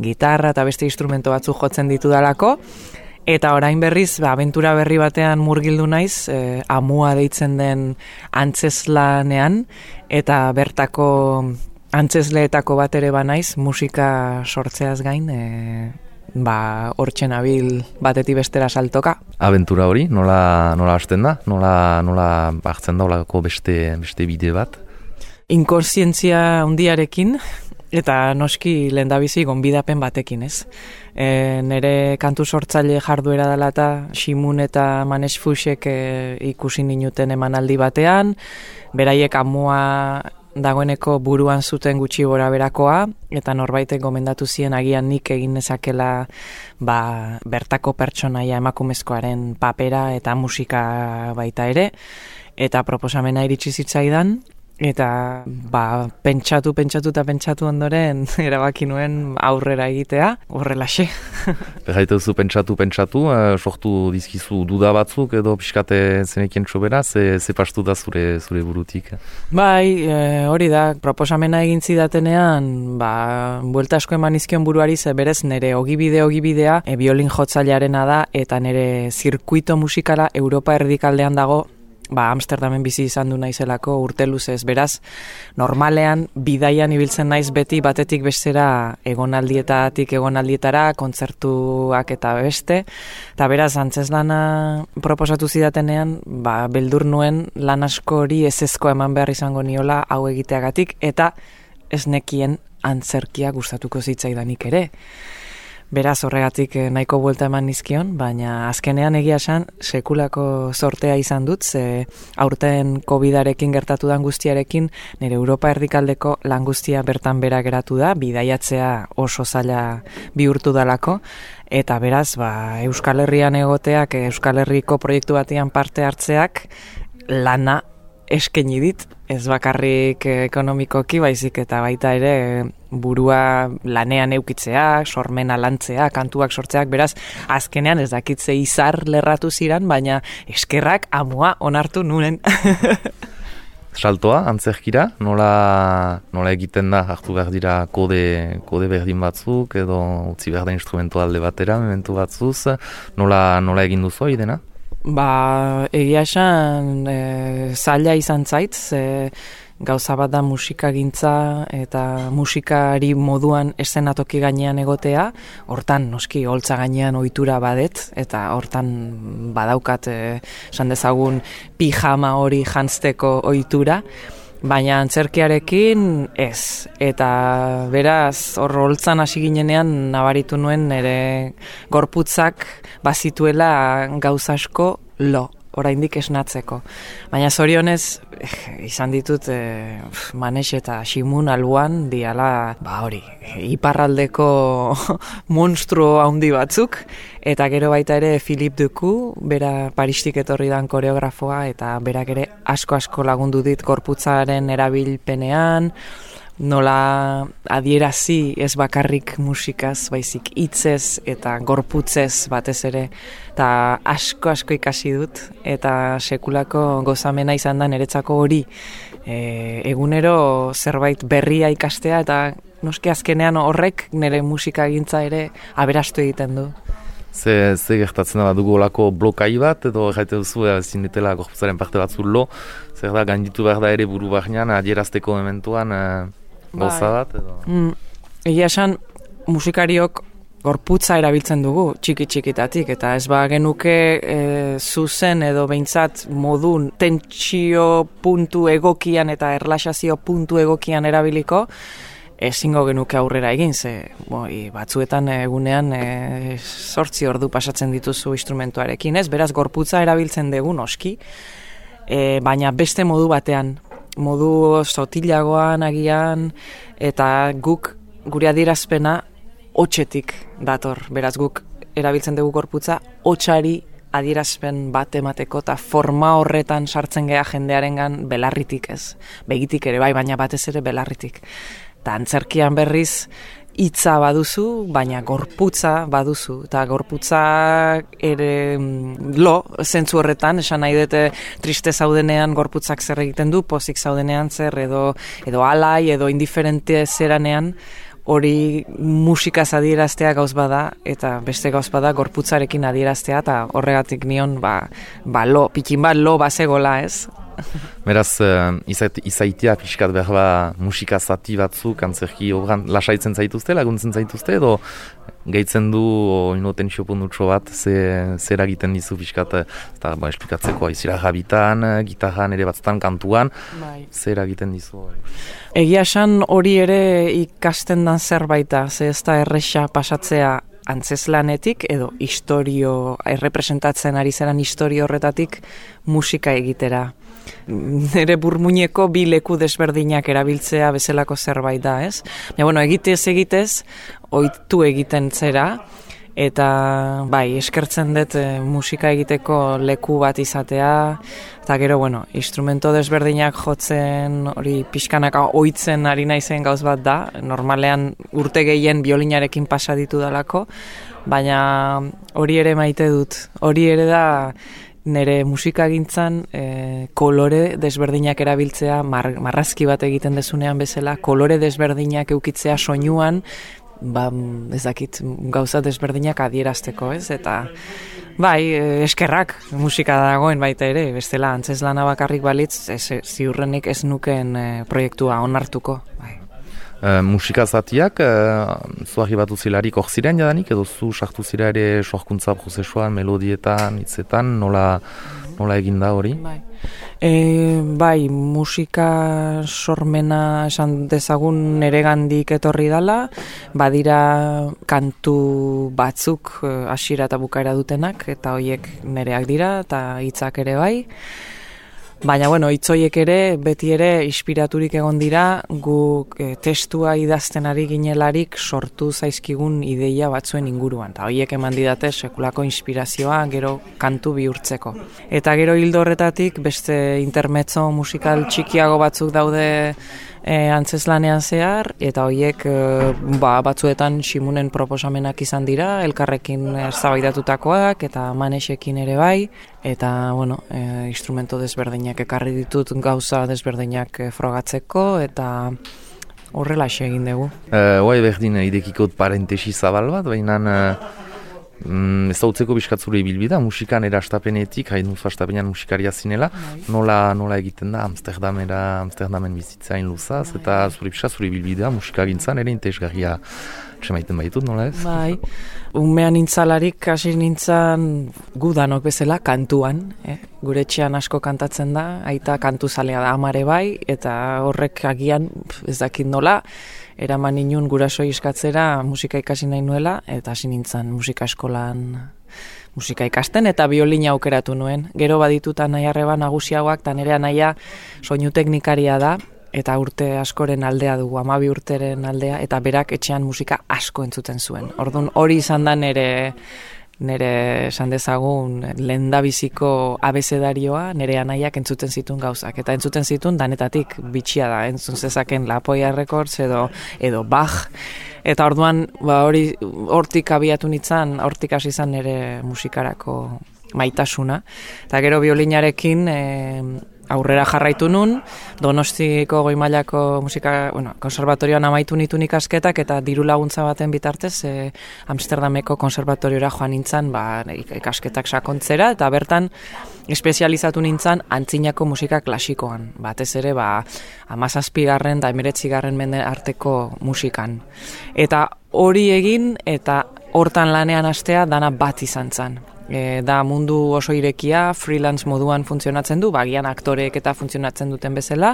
gitarra eta beste instrumento batzuk jotzen ditudalako, eta orain berriz, abentura berri batean murgildu naiz, amua deitzen den antzeslanean, eta bertako antzesleetako bat ere banaiz, musika sortzeaz gain, hortzen abil batetik bestera saltoka. Abentura hori, nola hasten da? Nola hartzen da olako beste bide bat? Inkonsientzia handiarekin, eta noski lehendabizi gonbidapen batekin, ez? Nere kantu sortzaile jarduera dela eta Simun eta Manes Fuxek ikusi ninuten emanaldi batean, beraiek amua dagoeneko buruan zuten gutxi gora berakoa, eta norbaitek gomendatu zien agian nik egin nezakela bertako pertsonaia emakumezkoaren papera eta musika baita ere, eta proposamena iritsi zitzaidan, eta pentsatu ondoren erabaki nuen aurrera egitea, horrelaxe. Berraituzu pentsatu, sortu dizkizu duda batzuk edo pixkate zenekien txobera, ze pastu da zure burutik? Hori da, proposamena egin zidatenean, buelta asko eman izkion buruari, ze berez nire ogibidea, biolin jotzailearena da, eta nire zirkuito musikala Europa erdikaldean dago, Amsterdamen bizi izan du naizelako urte luzez, beraz, normalean bidaian ibiltzen naiz beti batetik bestera egonaldietatik egonaldietara, kontzertuak eta beste, eta beraz, antzeslana proposatu zidatenean, beldur nuen lan asko hori ezezko eman behar izango niola hau egiteagatik, eta ez nekien antzerkia gustatuko zitzaidanik ere. Beraz, horregatik nahiko buelta eman nizkion, baina azkenean egia esan sekulako sortea izan dut, ze aurten COVID-arekin gertatu dan guztiarekin, nire Europa erdikaldeko lan guztia bertan bera geratu da, bidaiatzea oso zaila bihurtu dalako, eta beraz, Euskal Herrian egoteak, Euskal Herriko proiektu batean parte hartzeak, lana eskaini dit, ez bakarrik ekonomikoki, baizik eta baita ere burua lanean eukitzea, sormena lantzea, kantuak sortzeak, beraz, azkenean ez dakitze izar lerratu ziran, baina eskerrak amua onartu nuen. Saltoa, antzerkira, nola egiten da, hartu behar dira kode berdin batzuk, edo utzi behar da instrumento alde batera, mementu batzuz, nola egin duzu idena? Egia esan zaila izan zait, gauza bat da musikagintza eta musikari moduan eszenatoki gainean egotea, hortan noski holtza gainean ohitura badet, eta hortan badaukat esan dezagun pijama hori jantzteko ohitura, baina antzerkiarekin ez, eta beraz hor holtzan hasi ginenean nabaritu nuen nire gorputzak bazituela gauza asko oraindik esnatzeko. Baina zorionez, izan ditut Manes eta Simun alboan diala, iparraldeko monstruo handi batzuk, eta gero baita ere Philippe Ducu, bera Paristik etorri dan koreografoa, eta berak ere asko lagundu dit gorputzaren erabilpenean, nola adierazi ez bakarrik musikaz, baizik hitzez eta gorputzez batez ere, eta asko ikasi dut, eta sekulako gozamena izan da niretzako hori, egunero zerbait berria ikastea, eta noski azkenean horrek nire musikagintza ere aberastu egiten du. Ze gertatzen da dugu olako blokai bat, edo jaite duzu ezin ditela gorputzaren parte batzu zer da gainditu behar da ere buru barnean adierazteko mementuan goza bat, edo? Egia esan musikariok gorputza erabiltzen dugu txiki-txikitatik, eta ez genuke zuzen edo behintzat modun tentsio puntu egokian eta erlaxazio puntu egokian erabiliko, ezingo genuke aurrera egin, ze batzuetan egunean 8 ordu pasatzen dituzu instrumentuarekin, ez? Beraz, gorputza erabiltzen dugu noski, baina beste modu batean, modu sotilagoan agian, eta gure adierazpena hotsetik dator. Beraz, guk erabiltzen dugu gorputza hotsari adierazpen bat emateko eta forma horretan sartzen gea jendearengan belarritik ez. Begitik ere bai, baina batez ere belarritik. Eta antzerkian berriz hitza baduzu, baina gorputza baduzu. Eta gorputza ere zentzu horretan, esan nahi dute triste zaudenean gorputzak zer egiten du, pozik zaudenean zer, edo alai, edo indiferente zeranean, hori musikaz adieraztea gauz bada, eta beste gauz bada gorputzarekin adieraztea, eta horregatik nion, pikin bat lo bazegola, ez? Beraz, izaitia pixkat behar musika zati batzuk antzerki obran lasaitzen zaituzte, laguntzen zaituzte, edo gehitzen du tensio pundutxo bat, zer egiten dizu pixkat, esplikatzeko aizira jabitan, gitarran ere batzutan kantuan, zer egiten dizu? Egia esan hori ere ikasten dan zerbaita, ze ez da erresa pasatzea antzeslanetik edo errepresentatzen ari zeran historio horretatik musika egitera. Nere burmuineko bi leku desberdinak erabiltzea bezalako zerbait da, ez? Egitez, ohitu egiten zera, eta eskertzen dut musika egiteko leku bat izatea, eta gero, instrumento desberdinak jotzen, hori pixkanaka ohitzen ari naizen gauz bat da, normalean urte gehien biolinarekin pasa ditu dalako, baina hori ere maite dut, hori ere da nire musikagintzan kolore desberdinak erabiltzea, marrazki bat egiten dezunean bezala, kolore desberdinak eukitzea soinuan, ez dakit gauza desberdinak adierazteko, ez? Eta eskerrak musika dagoen baita ere, bestela antzeslana bakarrik balitz, ziurrenik ez nuken proiektua onartuko. Musika zatiak, zuari batu zilarik hor ziren jadanik, edo zu sartu zira ere sorkuntza prozesuan, melodietan, hitzetan, nola egin da hori? Musika sormena esan dezagun neregandik etorri dala, badira kantu batzuk hasiera eta bukaera dutenak, eta horiek nereak dira, eta hitzak ere bai. Baina, hitzoiek ere, beti ere, inspiraturik egon dira, guk testua idazten ari ginelarik sortu zaizkigun ideia batzuen inguruan. Eta horiek eman didate sekulako inspirazioa gero kantu bihurtzeko. Eta gero hildo horretatik, beste intermezzo musikal txikiago batzuk daude antzeslanean zehar, eta horiek batzuetan Ximunen proposamenak izan dira, elkarrekin eztabaidatutakoak eta Manesekin ere bai, eta instrumento desberdinak ekarri ditut gauza desberdinak frogatzeko, eta horrela egin dugu. Berdin idekikot parentesi zabal bat, baina ez dautzeko biskatzure ibilbida, musikan erastapenetik, hain duzu astapenean musikaria zinela, nola egiten da Amsterdamen bizitzain luzaz, eta zure ibilbidea musika gintzan ere intezgarria semaiten baitut, nola ez? Umean nintzalarik hasi nintzan gudanok bezala kantuan, gure etxean asko kantatzen da, aita kantuzalea da amare bai, eta horrek agian ez dakit nola, eraman inun gurasoi eskatzera musika ikasi nahi nuela, eta hasi nintzen musika eskolan musika ikasten, eta biolina aukeratu nuen. Gero badituta nahi arreba nagusiagoak, eta nire anaia soinu teknikaria da, eta urte askoren aldea dugu, 12 urteren aldea, eta berak etxean musika asko entzuten zuen. Orduan hori izan da nire esan dezagun lehendabiziko abezedarioa, nire anaiak entzuten zituen gauzak. Eta entzuten zituen danetatik bitxia da, entzun zezaken Lapoia Records edo Bach. Eta orduan hortik abiatu nintzen, hortik hasi izan nire musikarako maitasuna. Eta gero biolinarekin aurrera jarraitu nun, Donostiko goi mailako musika, konservatorioan amaitu nitun ikasketak, eta diru laguntza baten bitartez Amsterdameko konservatoriora joan nintzen ikasketak sakontzera, eta bertan espezializatu nintzen antzinako musika klasikoan, batez ere 17. eta 19. mende arteko musikan. Eta hori egin, eta hortan lanean hastea dana bat izan zen. Da mundu oso irekia, freelance moduan funtzionatzen du, bagian aktoreek eta funtzionatzen duten bezala,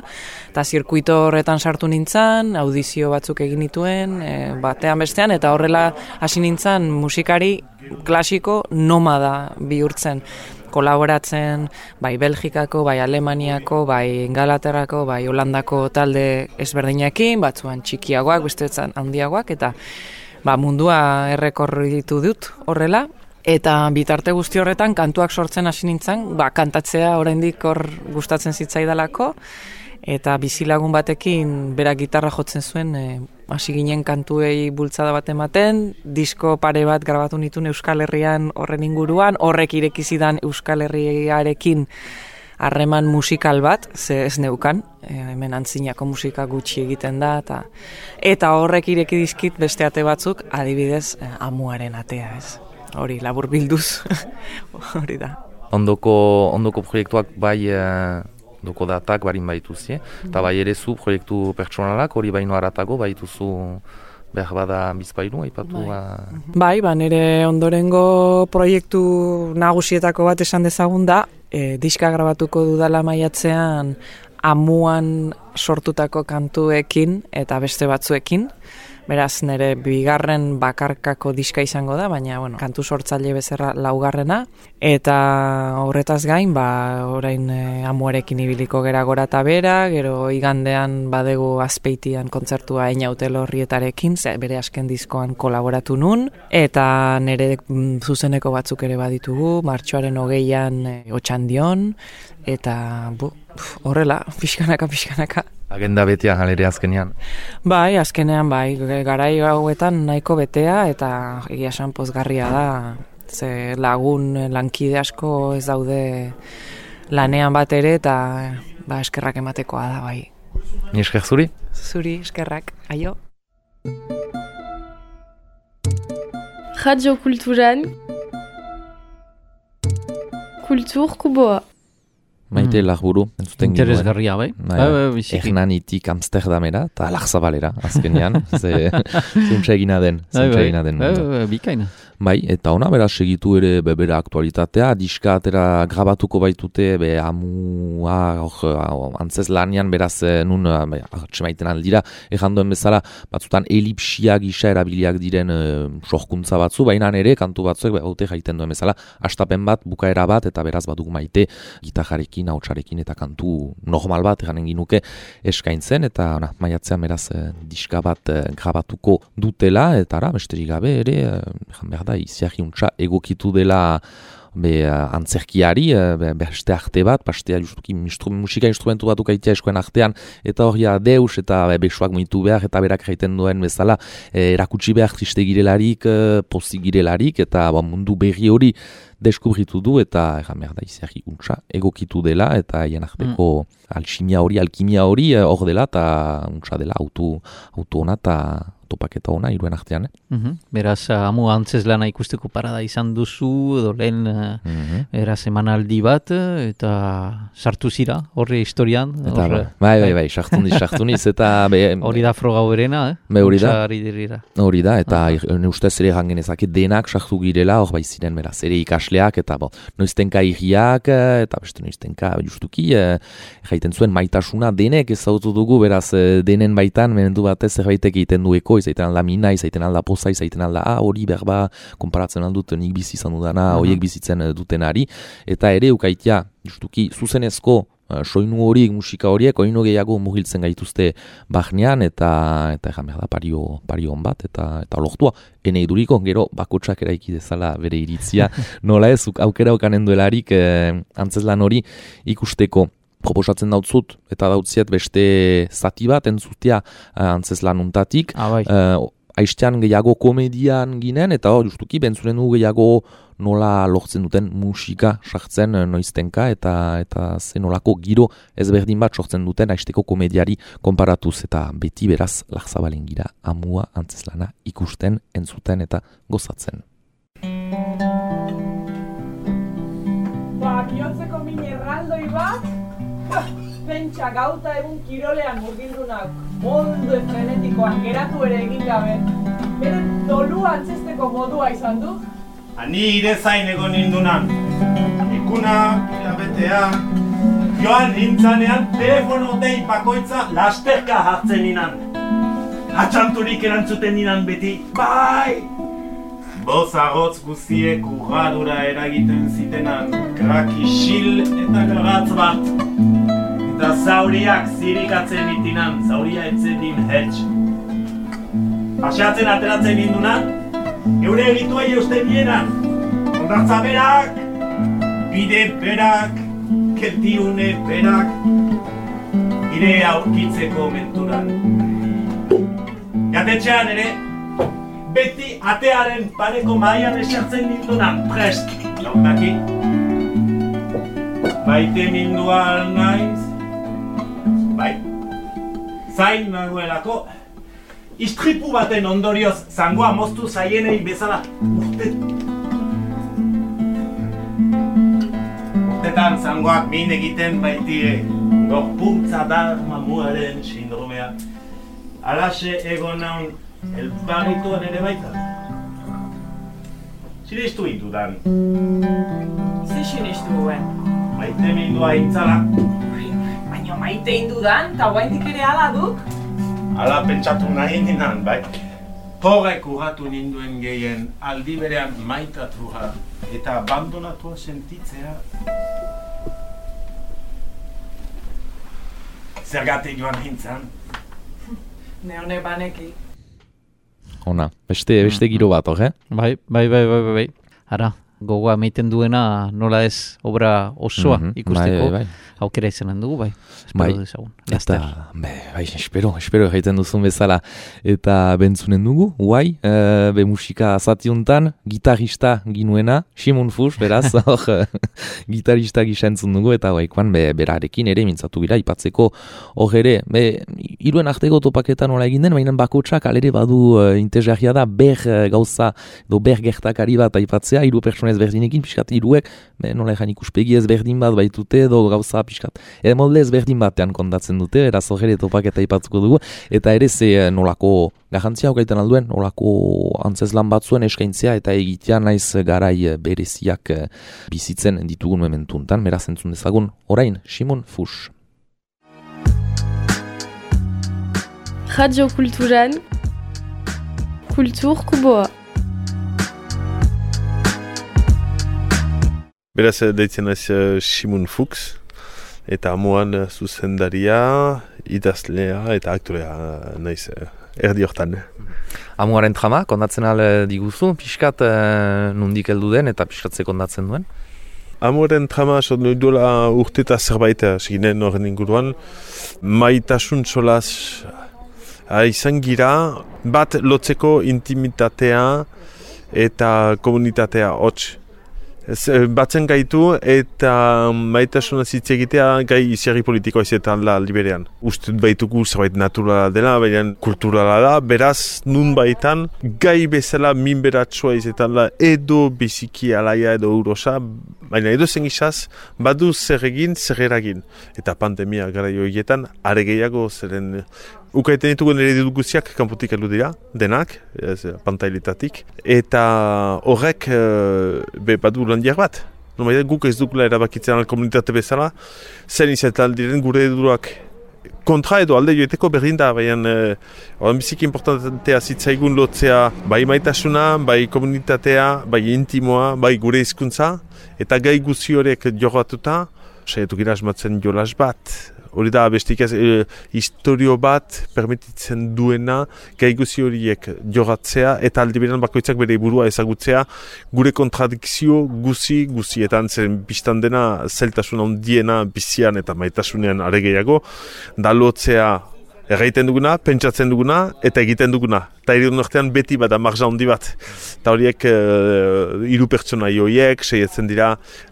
eta zirkuito horretan sartu nintzen, audizio batzuk egin nituen, batean bestean, eta horrela hasi nintzen musikari klasiko nomada bihurtzen, kolaboratzen, bai Belgikako, bai Alemaniako, bai Ingalaterrako, bai Holandako talde ezberdinekin, batzuan txikiagoak, besteetan handiagoak, eta mundua errekorritu dut horrela, Eta bitarte guzti horretan kantuak sortzen hasi nintzen, kantatzea oraindik hor gustatzen zitzaidalako, eta bizilagun batekin berak gitarra jotzen zuen, hasi ginen kantuei bultzada bat ematen, disko pare bat grabatu nituen Euskal Herrian horren inguruan, horrek ireki zidan Euskal Herriarekin harreman musikal bat, ze ez neukan, hemen antzinako musika gutxi egiten da, eta horrek ireki dizkit beste ate batzuk, adibidez, Amuaren atea, ez. Hori, labur bilduz, hori da. Ondoko proiektuak bai, ondoko datak barin baituzie, eta bai ere zu proiektu pertsonalak, hori baino haratago baituzu behar bada bizpailu, aipatu? Bai, nire ondorengo proiektu nagusietako bat esan dezagun da, diska grabatuko dudala maiatzean Amuan sortutako kantuekin eta beste batzuekin. Beraz, nire bigarren bakarkako diska izango da, baina kantu sortzaile bezala laugarrena. Eta horretaz gain, orain Amuarekin ibiliko gera gora eta bera, gero igandean badegu Azpeitian kontzertua Einaute Lorrietarekin, bere azken diskoan kolaboratu nun, eta nire zuzeneko batzuk ere baditugu, martxoaren 20an Otxandion, eta horrela, pixkanaka. Agenda betea halere azkenean? Bai, azkenean bai, garai hauetan nahiko betea eta egia esan pozgarria da, ze lagun lankide asko ez daude lanean bat ere eta eskerrak ematekoa da bai. Ni esker zuri? Zuri, eskerrak, aio. Radio Kulturan Kultur Kuboa. Maite Larburu, entzuten ginoen. Interesgarria, bai? Hernanitik Amsterdamera, eta Lagzabalera, azkenean. Zuntza egina den. Bikaina. Bai, eta ona beraz segitu ere bebera aktualitatea, diska atera grabatuko baitute, Amua, antzez lanian beraz nun, txemaiten aldira, errandoen bezala, batzutan elipsia gisa erabiliak diren sorkuntza batzu, baina ere kantu batzuek haute jaiten duen bezala, astapen bat, bukaera bat, eta beraz batuk Maite gitarrarekin, hautsarekin eta kantu normal bat, eranen ginuke eskaintzen, eta maiatzean beraz diska bat grabatuko dutela, eta besterik gabe ere, behar da, iziarri untsa egokitu dela antzerkiari, beste arte bat, pastea justuki musika instrumentu batuk aitea eskoen artean, eta hori deus eta besuak muitu behar, eta berak jaiten duen bezala, erakutsi behar triste girelarik, pozik girelarik, eta mundu berri hori deskubritu du, eta behar da iziarri untsa egokitu dela, eta hien arteko alximia hori, alkimia hori hor dela, eta untsa dela auto hona, eta topaketa ona iruen artean. Beraz, Amu antzez lana ikusteko parada izan duzu, edo lehen beraz emanaldi bat, eta sartu zira, horre historian. Bai, sartu niz, eta... Hori da froga berena, Hori da, eta ustez ere gangenezake denak sartu girela, hor bai ziren, beraz, ere ikasleak, eta noiztenka irriak, eta beste noiztenka justuki, jaiten zuen maitasuna denek ezautu dugu, beraz, denen baitan, menendu batez zerbaitek egiten dueko, izaiten alda mina, izaiten alda poza, izaiten alda hori berba, konparatzen aldut nik bizi izan dudana, horiek bizitzen dutenari, eta ere ukaitia, justuki, zuzenezko soinu horiek, musika horiek, oino gehiago mugiltzen gaituzte bahnean, eta egan behar da pario hon bat, eta lortua, ene iduriko, gero bakotsak eraiki dezala bere iritzia, nola ez, aukera okanen duelarik antzeslan hori ikusteko. Proposatzen dautzut, eta dautziet beste zati bat entzutea antzeslan untatik. Aiztean gehiago komedian ginen, eta justuki bentzuren du gehiago nola lortzen duten musika sartzen noiztenka, eta zen nolako giro ezberdin bat sortzen duten aizteko komediari konparatuz, eta beti beraz Lagzabalen gira Amua antzeslana ikusten, entzuten eta gozatzen. Bihontzeko min erraldoi bat, pentsa gauta egun kirolean murgildunak molde frenetikoan geratu ere egin gabe, bere dolua antzesteko modua izan du? Ni ire zain egon nindunan, ikuna, irabetea, joan nintzanean telefono dei bakoitza lasterka hartzen ninan. Atxanturik erantzuten ninan beti, bai! Boz agotz guziek urradura eragiten zitenan, kraki xil eta gragatz bat. Eta zauriak zirikatzen itinan, zauria etzen din hetx. Paseatzen ateratzen nindunan, eure egituai eusten nienan. hondartza berak, bide berak, keltiune berak, ire aurkitzeko menturan. Jatetxean ere, beti atearen pareko mahaian esertzen nindunan prest. Laundaki, maite mindual naiz, bai, zain nagoelako, istripu baten ondorioz zangoa moztu zaienei bezala urtetan zangoak min egiten baitire, gorpuntza dar mamuaren sindromea. Alaxe egon naun elbarrituan ere baita. Sinistu intudan. Ze sinistu guen? Maite mindua intzala. Baina maite indudan, eta guaindik ere ala duk? Ala pentsatu nahi ninan, bai. Horrek urratu ninduen gehien aldi berean maitatua eta abandonatua sentitzea. Zergatik joan hintzan. Neone baneki. Ona, beste giro bat, Bai. Ara, gogoa meiten duena nola ez obra osoa ikusteko. Bai. Aukera izanen dugu, bai. Bai, eta, bai, espero egiten duzun bezala. Eta bentzunen dugu, guai, be musika zatiuntan, gitarista ginuena, Simon Fuchs, beraz, gitarista gisa entzun dugu, eta guaikoan berarekin ere mintzatu gira, ipatzeko hor ere, iruen arteko topaketan nola egin den, baina bakotsak alere badu interesgarria da, gauza, edo gertakari bat aipatzea, hiru pertsona ezberdinekin, pixkat hiruek, nola egan ikuspegi ezberdin bat baitute, edo gauza pixkat, molde ezberdin batean kontatzen dute, eraz hori topaketa ipatzuko dugu, eta ere ze nolako garrantzia hokaiten alduen, nolako antzeslan batzuen eskaintzea, eta egitea naiz garai bereziak bizitzen ditugun momentuntan, beraz entzun dezagun, orain, Simon Fuchs. Radio Kulturan, Kultur Kuboa. Beraz, deitzen naiz Simon Fuchs, eta amuan zuzendaria, idazlea eta aktorea naiz erdi hortan. Amuaren trama, kondatzen diguzu, pixkat nundik heldu den eta pixkatze kondatzen duen? Amuaren trama, duela urteta zerbait seginen horren inguruan, maitasun solaz izan gira, bat lotzeko intimitatea eta komunitatea hots. Batzen gaitu eta maitasuna hitz egitea gai iziarri politikoa izetan da liberean. Ustut baituko zerbait naturala dela, baina kulturala da, beraz nun baitan gai bezala minberatsua izetan da edo biziki alaia edo urosa, baina edo zen gizaz badu zer egin, zer eragin. Eta pandemia gara joietan are gehiago zeren ukaiten ditugu nire duguziak kanpotik heldu dira, denak, pantailetatik, eta horrek badu landiak bat. Normalitat guk ez dukula erabakitzen komunitate bezala, zen izetan diren gure edurak kontra edo alde joeteko berdin da, baina biziki importantea zitzaigun lotzea bai maitasuna, bai komunitatea, bai intimoa, bai gure hizkuntza, eta gai guzi horiek jorratuta, saiatu gira asmatzen jolas bat. Hori da, bestik ez, historio bat permititzen duena gai guzi horiek jogatzea eta aldi berean bakoitzak bere burua ezagutzea gure kontradikzio guzietan zen biztan dena zailtasun handiena bizian eta maitasunean are gehiago, da lotzea erraiten duguna, pentsatzen duguna eta egiten duguna. Eta hiru artean beti bada marja handi bat. Eta horiek hiru pertsonai horiek, seietzen dira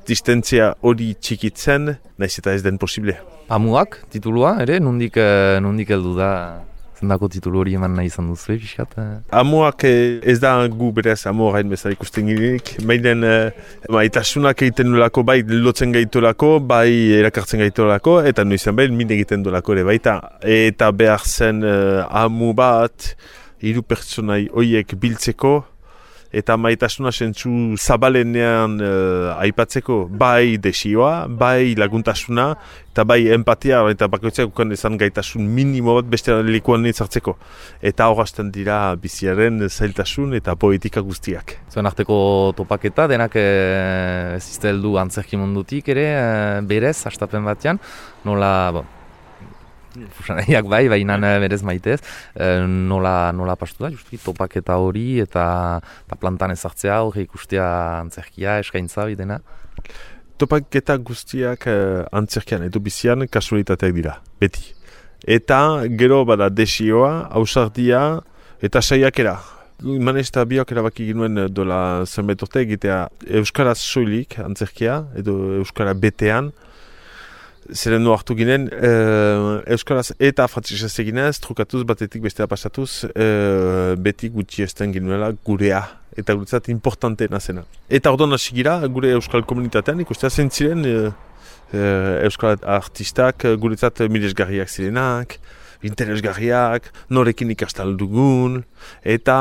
distentzia hori txikitzen, naiz eta ez den posible. Amuak, titulua, ere? Nundik heldu da zendako titulu hori eman nahi izan duzu, pixkat? Amuak ez da gu berez amuarein bezala ikusten girenik. Baina maitasunak egiten duelako, bai lotzen gaitolako, bai erakartzen gaitolako, eta noizan bai min egiten duelako ere baita. Eta behar zen amu bat, hiru pertsonai horiek biltzeko, eta maitasuna sentzu zabalenean aipatzeko, bai desioa, bai laguntasuna, eta bai empatia, eta bakoitzak ukan ezan gaitasun minimo bat beste lekuan nintzartzeko. Eta horazten dira biziaren zailtasun eta poetika guztiak. Zuen arteko topaketa, denak ez izteldu antzerki mundutik ere, berez, hastapen batean, nola Fusanaiak bai, baina berez maitez. Nola pastu da, justu, topaketa hori eta plantan ezartzea, hori ikustea antzerkia, eskaintza hori dena? Topaketa guztiak antzerkian edo bizian kasualitateak dira, beti. Eta gero bada desioa, ausardia eta saiakera. Manez eta biok erabaki ginuen dola zenbait urte egitea euskaraz soilik antzerkia edo euskara betean. Zeren nu hartu ginen, euskaraz eta frantzesez eginez, trukatuz batetik bestea pasatuz, beti gutxi esten ginuela gurea. Eta guretzat importanteena zena. Eta orduan hasi gira, gure euskal komunitatean ikustea zentziren euskal artistak guretzat milesgarriak zirenak, interesgarriak, norekin ikastal dugun, eta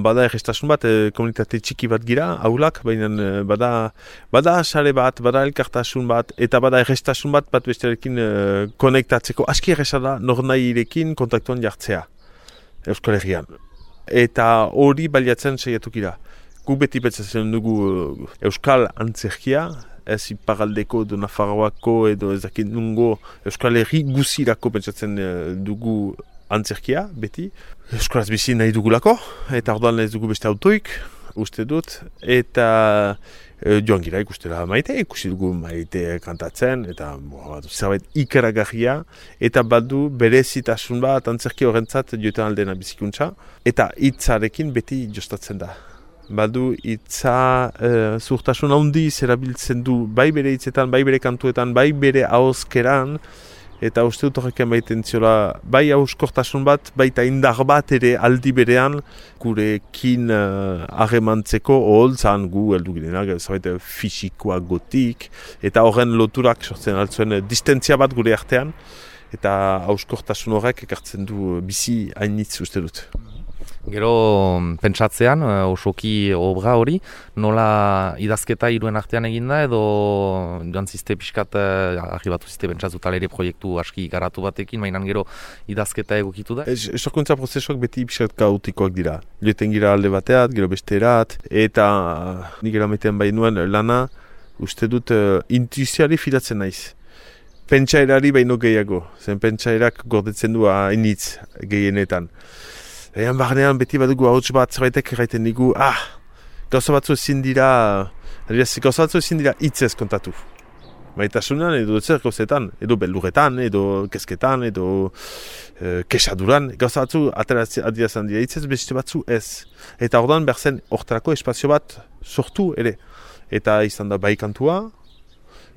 bada errestasun bat, komunitate txiki bat gira, aulak, baina bada sare bat, bada elkartasun bat, eta bada errestasun bat bestearekin konektatzeko. Aski erresa da, nor nahi irekin kontaktuan jartzea, Euskal Herrian. Eta hori baliatzen saiatuk gira. Gu beti betzatzen dugu Euskal Antzerkia, ez iparaldeko edo Nafarroako edo ezakin nungo Euskal Herri guzirako pentsatzen dugu antzerkia, beti. Euskaraz bizi nahi dugulako, eta orduan ez dugu beste autoik, uste dut, eta joan gira ikustela maite, ikusi dugu maite kantatzen, eta zerbait ikaragarria, eta badu berezitasun bat antzerki horrentzat joetan aldena bizikuntza, eta hitzarekin beti jostatzen da. Badu hitza zuhtasun handiz erabiltzen du, bai bere hitzetan, bai bere kantuetan, bai bere ahozkeran, eta uste dut horrekin baiten ziola, bai hauskortasun bat, baita indar bat ere aldi berean, gurekin harremantzeko oholtzan gu heldu girenak, zabait fisikoa gotik, eta horren loturak sortzen altzuen distentzia bat gure artean, eta hauskortasun horrek ekartzen du bizi hainitz uste dut. Gero pentsatzean, osoki obra hori, nola idazketa hiruen artean eginda edo joan ziste pixkat arribatu ziste pentsatzu talere proiektu aski garatu batekin, mainan gero idazketa egokitu da? Sorkuntza prozesuak beti pixkat kaotikoak dira. Joeten gira alde bateat, gero besterat, eta nik eramaitean bai nuen lana, uste dut intuizioari fidatzen naiz. Pentsaerari baino gehiago, zen pentsairak gordetzen du hainitz gehienetan. Ean barnean beti badugu hauts bat zerbaitek erraiten digu, gauza batzu ezin dira hitzez kontatu. Maitasunan edo zer gauzetan, edo beldurretan, edo kezketan, edo kesaduran, gauza batzu adirazan dira hitzez, beste batzu ez. Eta orduan behar zen hortarako espazio bat sortu ere. Eta izan da bai kantua,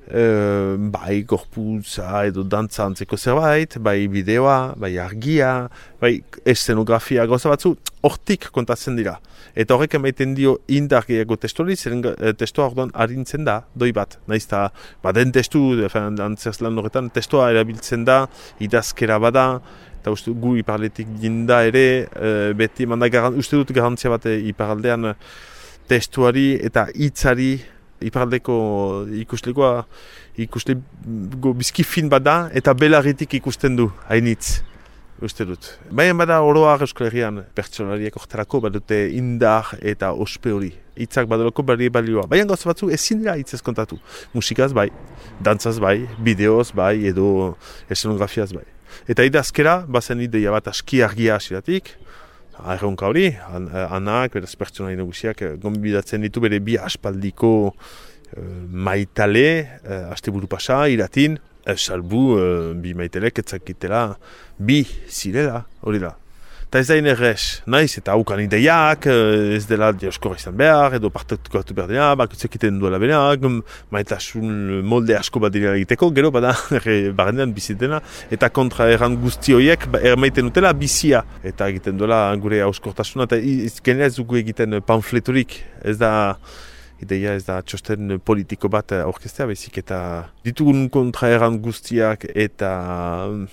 bai gorputza edo dantza antzeko zerbait, bai bideoa, bai argia, bai eszenografia gauza batzu, hortik kontatzen dira. Eta horrek emaiten dio indar gehiago testuari, zeren testua orduan harintzen da, doi bat. Naizta, baden testu, antzerz-lan horretan, testua erabiltzen da, idazkera bada, eta uste gu iparletik jinda ere, beti uste dut garantzia bat iparaldean testuari eta hitzari, iparaldeko ikusleko bizki fin bada eta belarritik ikusten du, hainitz, uste dut. Baina bada oroak Euskal Herrian pertsonariak orterako badute indar eta ospe hori. Hitzak badalako balioa. Baina gauza batzu ezin dira hitzez kontatu. Musikaz bai, dantzaz bai, bideoz bai, edo esenografiaz bai. Eta idazkera, bazen ideia bat aski argia hasiratik, erronka hori, anak, beraz pertsonai nagusiak gonbidatzen ditu bere bi aspaldiko maitale, asteburu pasa, iratin, salbu bi maitelek etzakitela bi zirela, hori da. Eta ez da inerrez, naiz, eta haukan ideiak, ez dela dioskorra izan behar, edo partekatu behar dena, bakutzek iten duela benak, maitasun molde asko bat dira egiteko, gero bada barrendean bizitena, eta kontra erran guzti horiek ermaiten dutela bizia. Eta egiten duela gure hauskortasuna, eta genera ez dugu egiten pamfletorik, ez da ideia ez da txosten politiko bat aurkeztea, baizik eta ditugun kontraeran guztiak eta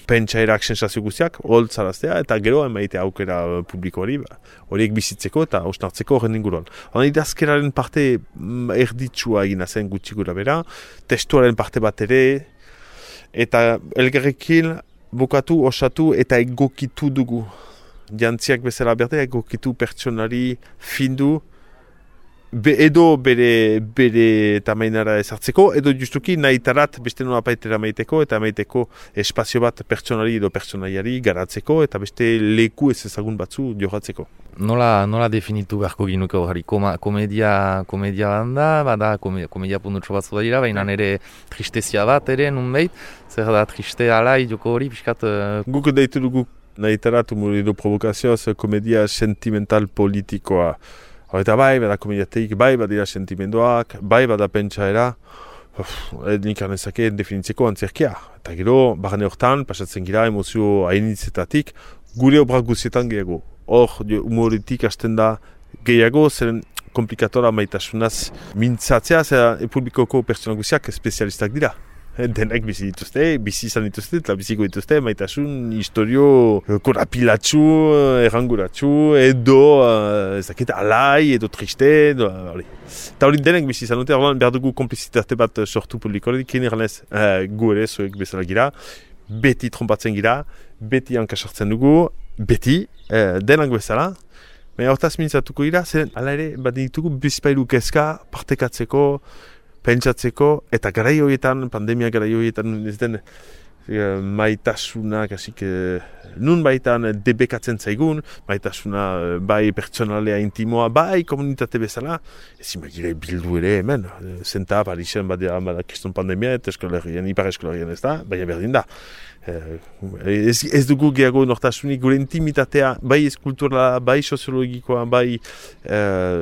pentsairak sensazio guztiak holtzaraztea eta gero emaitea aukera publiko horiek bizitzeko eta hausnartzeko horren inguruan. Hona idazkeraren parte erditsua egina zen gutxi gura bera, testuaren parte bat ere, eta elgarrekin bukatu, osatu eta egokitu dugu. Jantziak bezala berde egokitu pertsonari findu edo bere tamainara ezartzeko, edo justuki nahitarat beste nola paitera maiteko, eta maiteko espazio bat pertsonari edo pertsonaiari garatzeko, eta beste leku ez ezagun batzu jogatzeko. Nola definitu beharko ginuke hori? Komedia bada, komedia puntutxo batzu da dira, baina ere tristezia bat ere, nunbait, zer da triste alai joko hori, pixkat... Guk deitu dugu nahitarat humor edo provokazioaz komedia sentimental politikoa. Eta bai, bada komediateik, bai badira sentimenduak, bai bada pentsaera, nik anezake definitzeko antzerkia. Eta gero, barne hortan, pasatzen gira emozio hainitzetatik, gure obrak guzietan gehiago. Hor, humoritik hasten da gehiago, zeren komplikatora maitasunaz mintzatzea, zera publikoko pertsona guziak espezialistak dira. Denak bizi izan dituzte, eta biziko dituzte, maitasun historio korapilatxu, erranguratxu, edo ezakit alai, edo triste, eta hori denak bizi izan dute, behar dugu komplizitate bat sortu publikorik, kien erranez gu ere zuek bezala gira, beti trompatzen gira, beti hankasartzen dugu, beti, denak bezala, baina hortaz mintzatuko gira, zen ala ere bat ditugu bizpailu kezka partekatzeko, pentsatzeko, eta garai horietan, pandemia garai horietan, ez den maitasunak, nun baitan debekatzen zaigun, maitasuna bai pertsonalea intimoa, bai komunitate bezala, ez imagire bildu ere hemen, zenta Parisen bada kriston pandemia, eta eskolarien, ipar eskolarien ez da, baina berdin da. Ez dugu gehiago nortasunik, gure intimitatea, bai eskulturala, bai soziologikoa, bai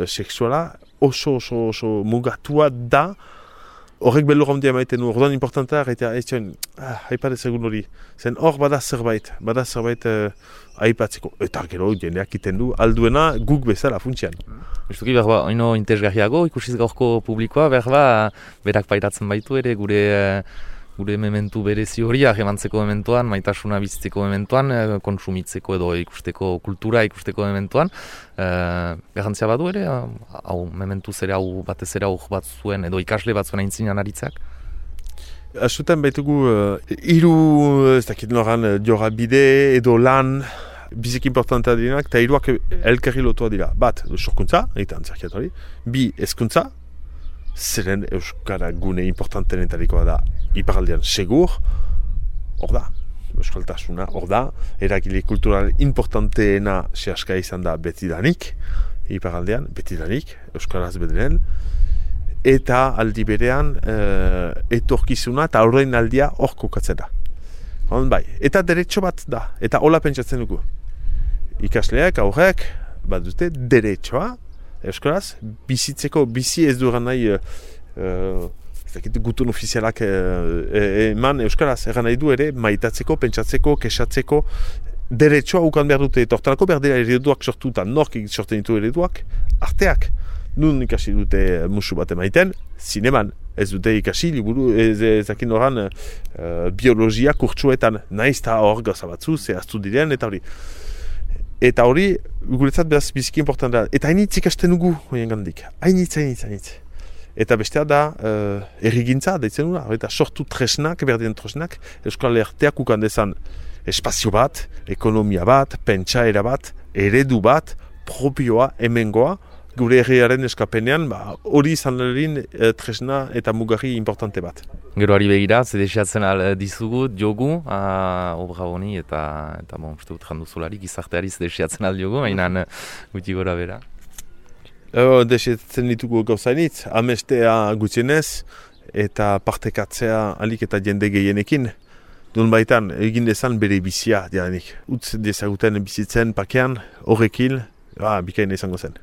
sexuala, oso mugatua da, horrek belur handia maiten du, orduan importanta, eta ez zuen, haipat ezagun hori, zen hor bada zerbait aipatzeko, eta gero jendeak iten du, alduena guk bezala funtsian. Justuki behar ba, oino interesgarriago, ikusiz gaurko publikoa, behar ba, berak pairatzen baitu ere, gure mementu berezi horiak emantzeko mementuan, maitasuna bizitzeko mementuan, kontsumitzeko edo ikusteko kultura ikusteko mementuan. Garrantzia badu ere, hau mementu zere hau batez ere hau batzuen edo ikasle batzuen aintzinan aritzak? Asutan baitugu hiru ez dakit noran jorabide edo lan biziki importantea direnak, eta hiruak elkarri lotua dira. Bat, sorkuntza, eta antzerkiat hori, bi, hezkuntza, zeren euskara gune importantenetarikoa da iparaldean segur, hor da, euskaltasuna, hor da, eragile kultural importanteena sehaska izan da betidanik, iparaldean, betidanik, euskaraz bederen, eta aldi berean etorkizuna eta horrein aldia hor kokatzen da. Bai, eta derecho bat da, eta hola pentsatzen dugu. Ikasleak, aurrek, bat dute, derechoa, euskaraz, bizitzeko, bizi ez duran nahi gutun ofizialak eman euskaraz, egan nahi du ere, maitatzeko, pentsatzeko, kesatzeko, derechoa ukan behar dute, eta hortarako behar dira ereduak sortuta, nork sorten ditu ereduak, arteak. Nun ikasi dute musu bat emaiten, zineman, ez dute ikasi, liburu, ezakin horan biologia kurtsuetan, nahiz eta hor gauza batzu, zehaztu diren, eta hori. Eta hori, guretzat behaz biziki importanta da. Eta hainitz ikasten dugu, horien gandik. Hainitz. Eta bestea da, errigintza, daitzen duna, eta sortu tresnak, berdien tresnak, Euskal Herriak ukan dezan espazio bat, ekonomia bat, pentsaera bat, eredu bat, propioa, hemengoa, gure herriaren eskapenean, hori izan tresna eta mugarri importante bat. Gero ari begira, zedesiatzen dizugut, jogu, obra honi, eta uste dut janduzulari, gizarteari zedesiatzen diogu, mainan guti gora bera. Desiatzen ditugu gauzainitz, amestea gutxienez, eta partekatzea alik eta jende gehienekin. Dun baitan, egin dezan bere bizia, dianik. Utz dezaguten bizitzen pakean, horrekin, bikaina izango zen.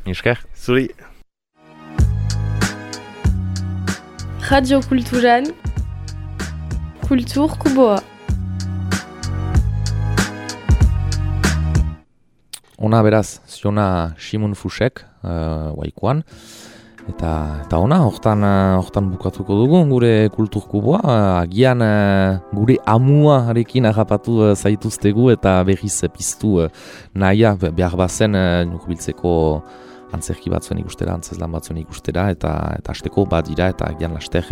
Esker. Zuri. Radio Kulturan, Kultur Kuboa. Ona beraz, ziona Simon Fusek, waikoan. Eta ona, hortan bukatuko dugu gure Kultur Kuboa. Agian gure amuarekin agapatu zaituztegu eta berriz piztu nahia behar bazen nukubiltzeko antzerki batzuen ikustera, antzeslan batzuen ikustera, eta asteko bat dira, eta agian laster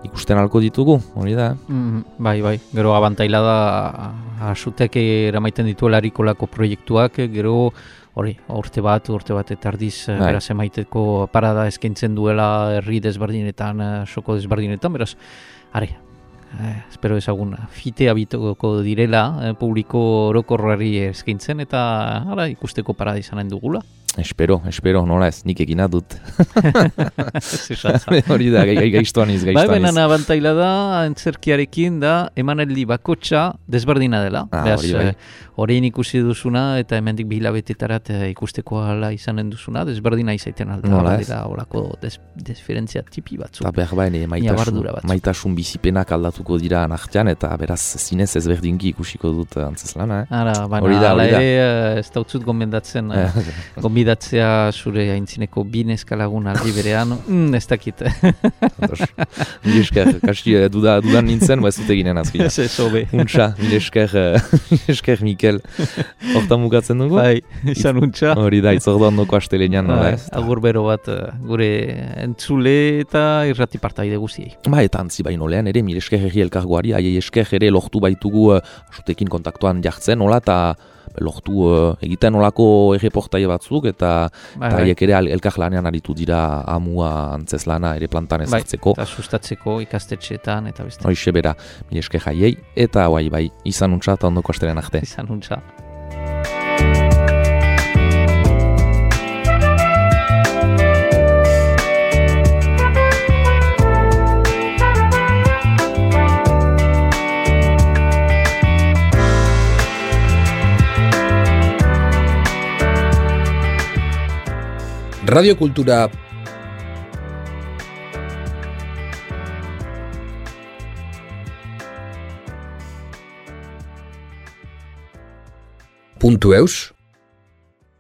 ikusten alko ditugu, hori da. Bai, gero abantaila da asutek eramaiten dituelarikolako proiektuak, gero hori, urte bat eta erdiz beraz emaiteko parada eskaintzen duela herri desberdinetan, soko desberdinetan, beraz, espero ezagun fitea bitoko direla publiko orokorrari eskaintzen eta ikusteko parada izanen dugula. Espero, nola ez, nik egina dut. Hori da, gaiztuan iz. Bai, benan abantaila da, antzerkiarekin da, emanaldi bakotxa desberdina dela. Horrein ikusi duzuna eta hemendik bilabetetarat ikusteko ala izanen duzuna, desberdina izaiten alda. Dira horako desferentzia tipi batzu. Eta behar baina, maitasun bizipenak aldatuko dira nartian, eta beraz zinez ezberdinki ikusiko dut antzazlana. Hori da, ez dautzut gomendatzen, gomendatzea zure haintzineko binezkalagun aldi berean, ez dakit. Mil esker, dudan nintzen, ez dut eginen azkila. Ez hobe. Untxa, mil esker Mikel. Hortan mugatzen dugu? Bai, izan untxa. Hori da, itzordo ondoko astelenean. Agur bero bat gure entzule eta irrati partaide guziei. Eta antzi baino lehen ere, mil esker herri elkargoari, aiei esker ere lortu baitugu asutekin kontaktuan jartzen, nola, eta lortu egiten olako erreportaia batzuk, eta haiek ere elkarlanean aritu dira amua antzezlana ere plantan ezartzeko. Eta sustatzeko ikastetxeetan, eta beste. Hoixe bera, mil esker jaiei, eta bai, izan untxa eta ondoko astelean arte. Izan untxa. Radio Kultura .eus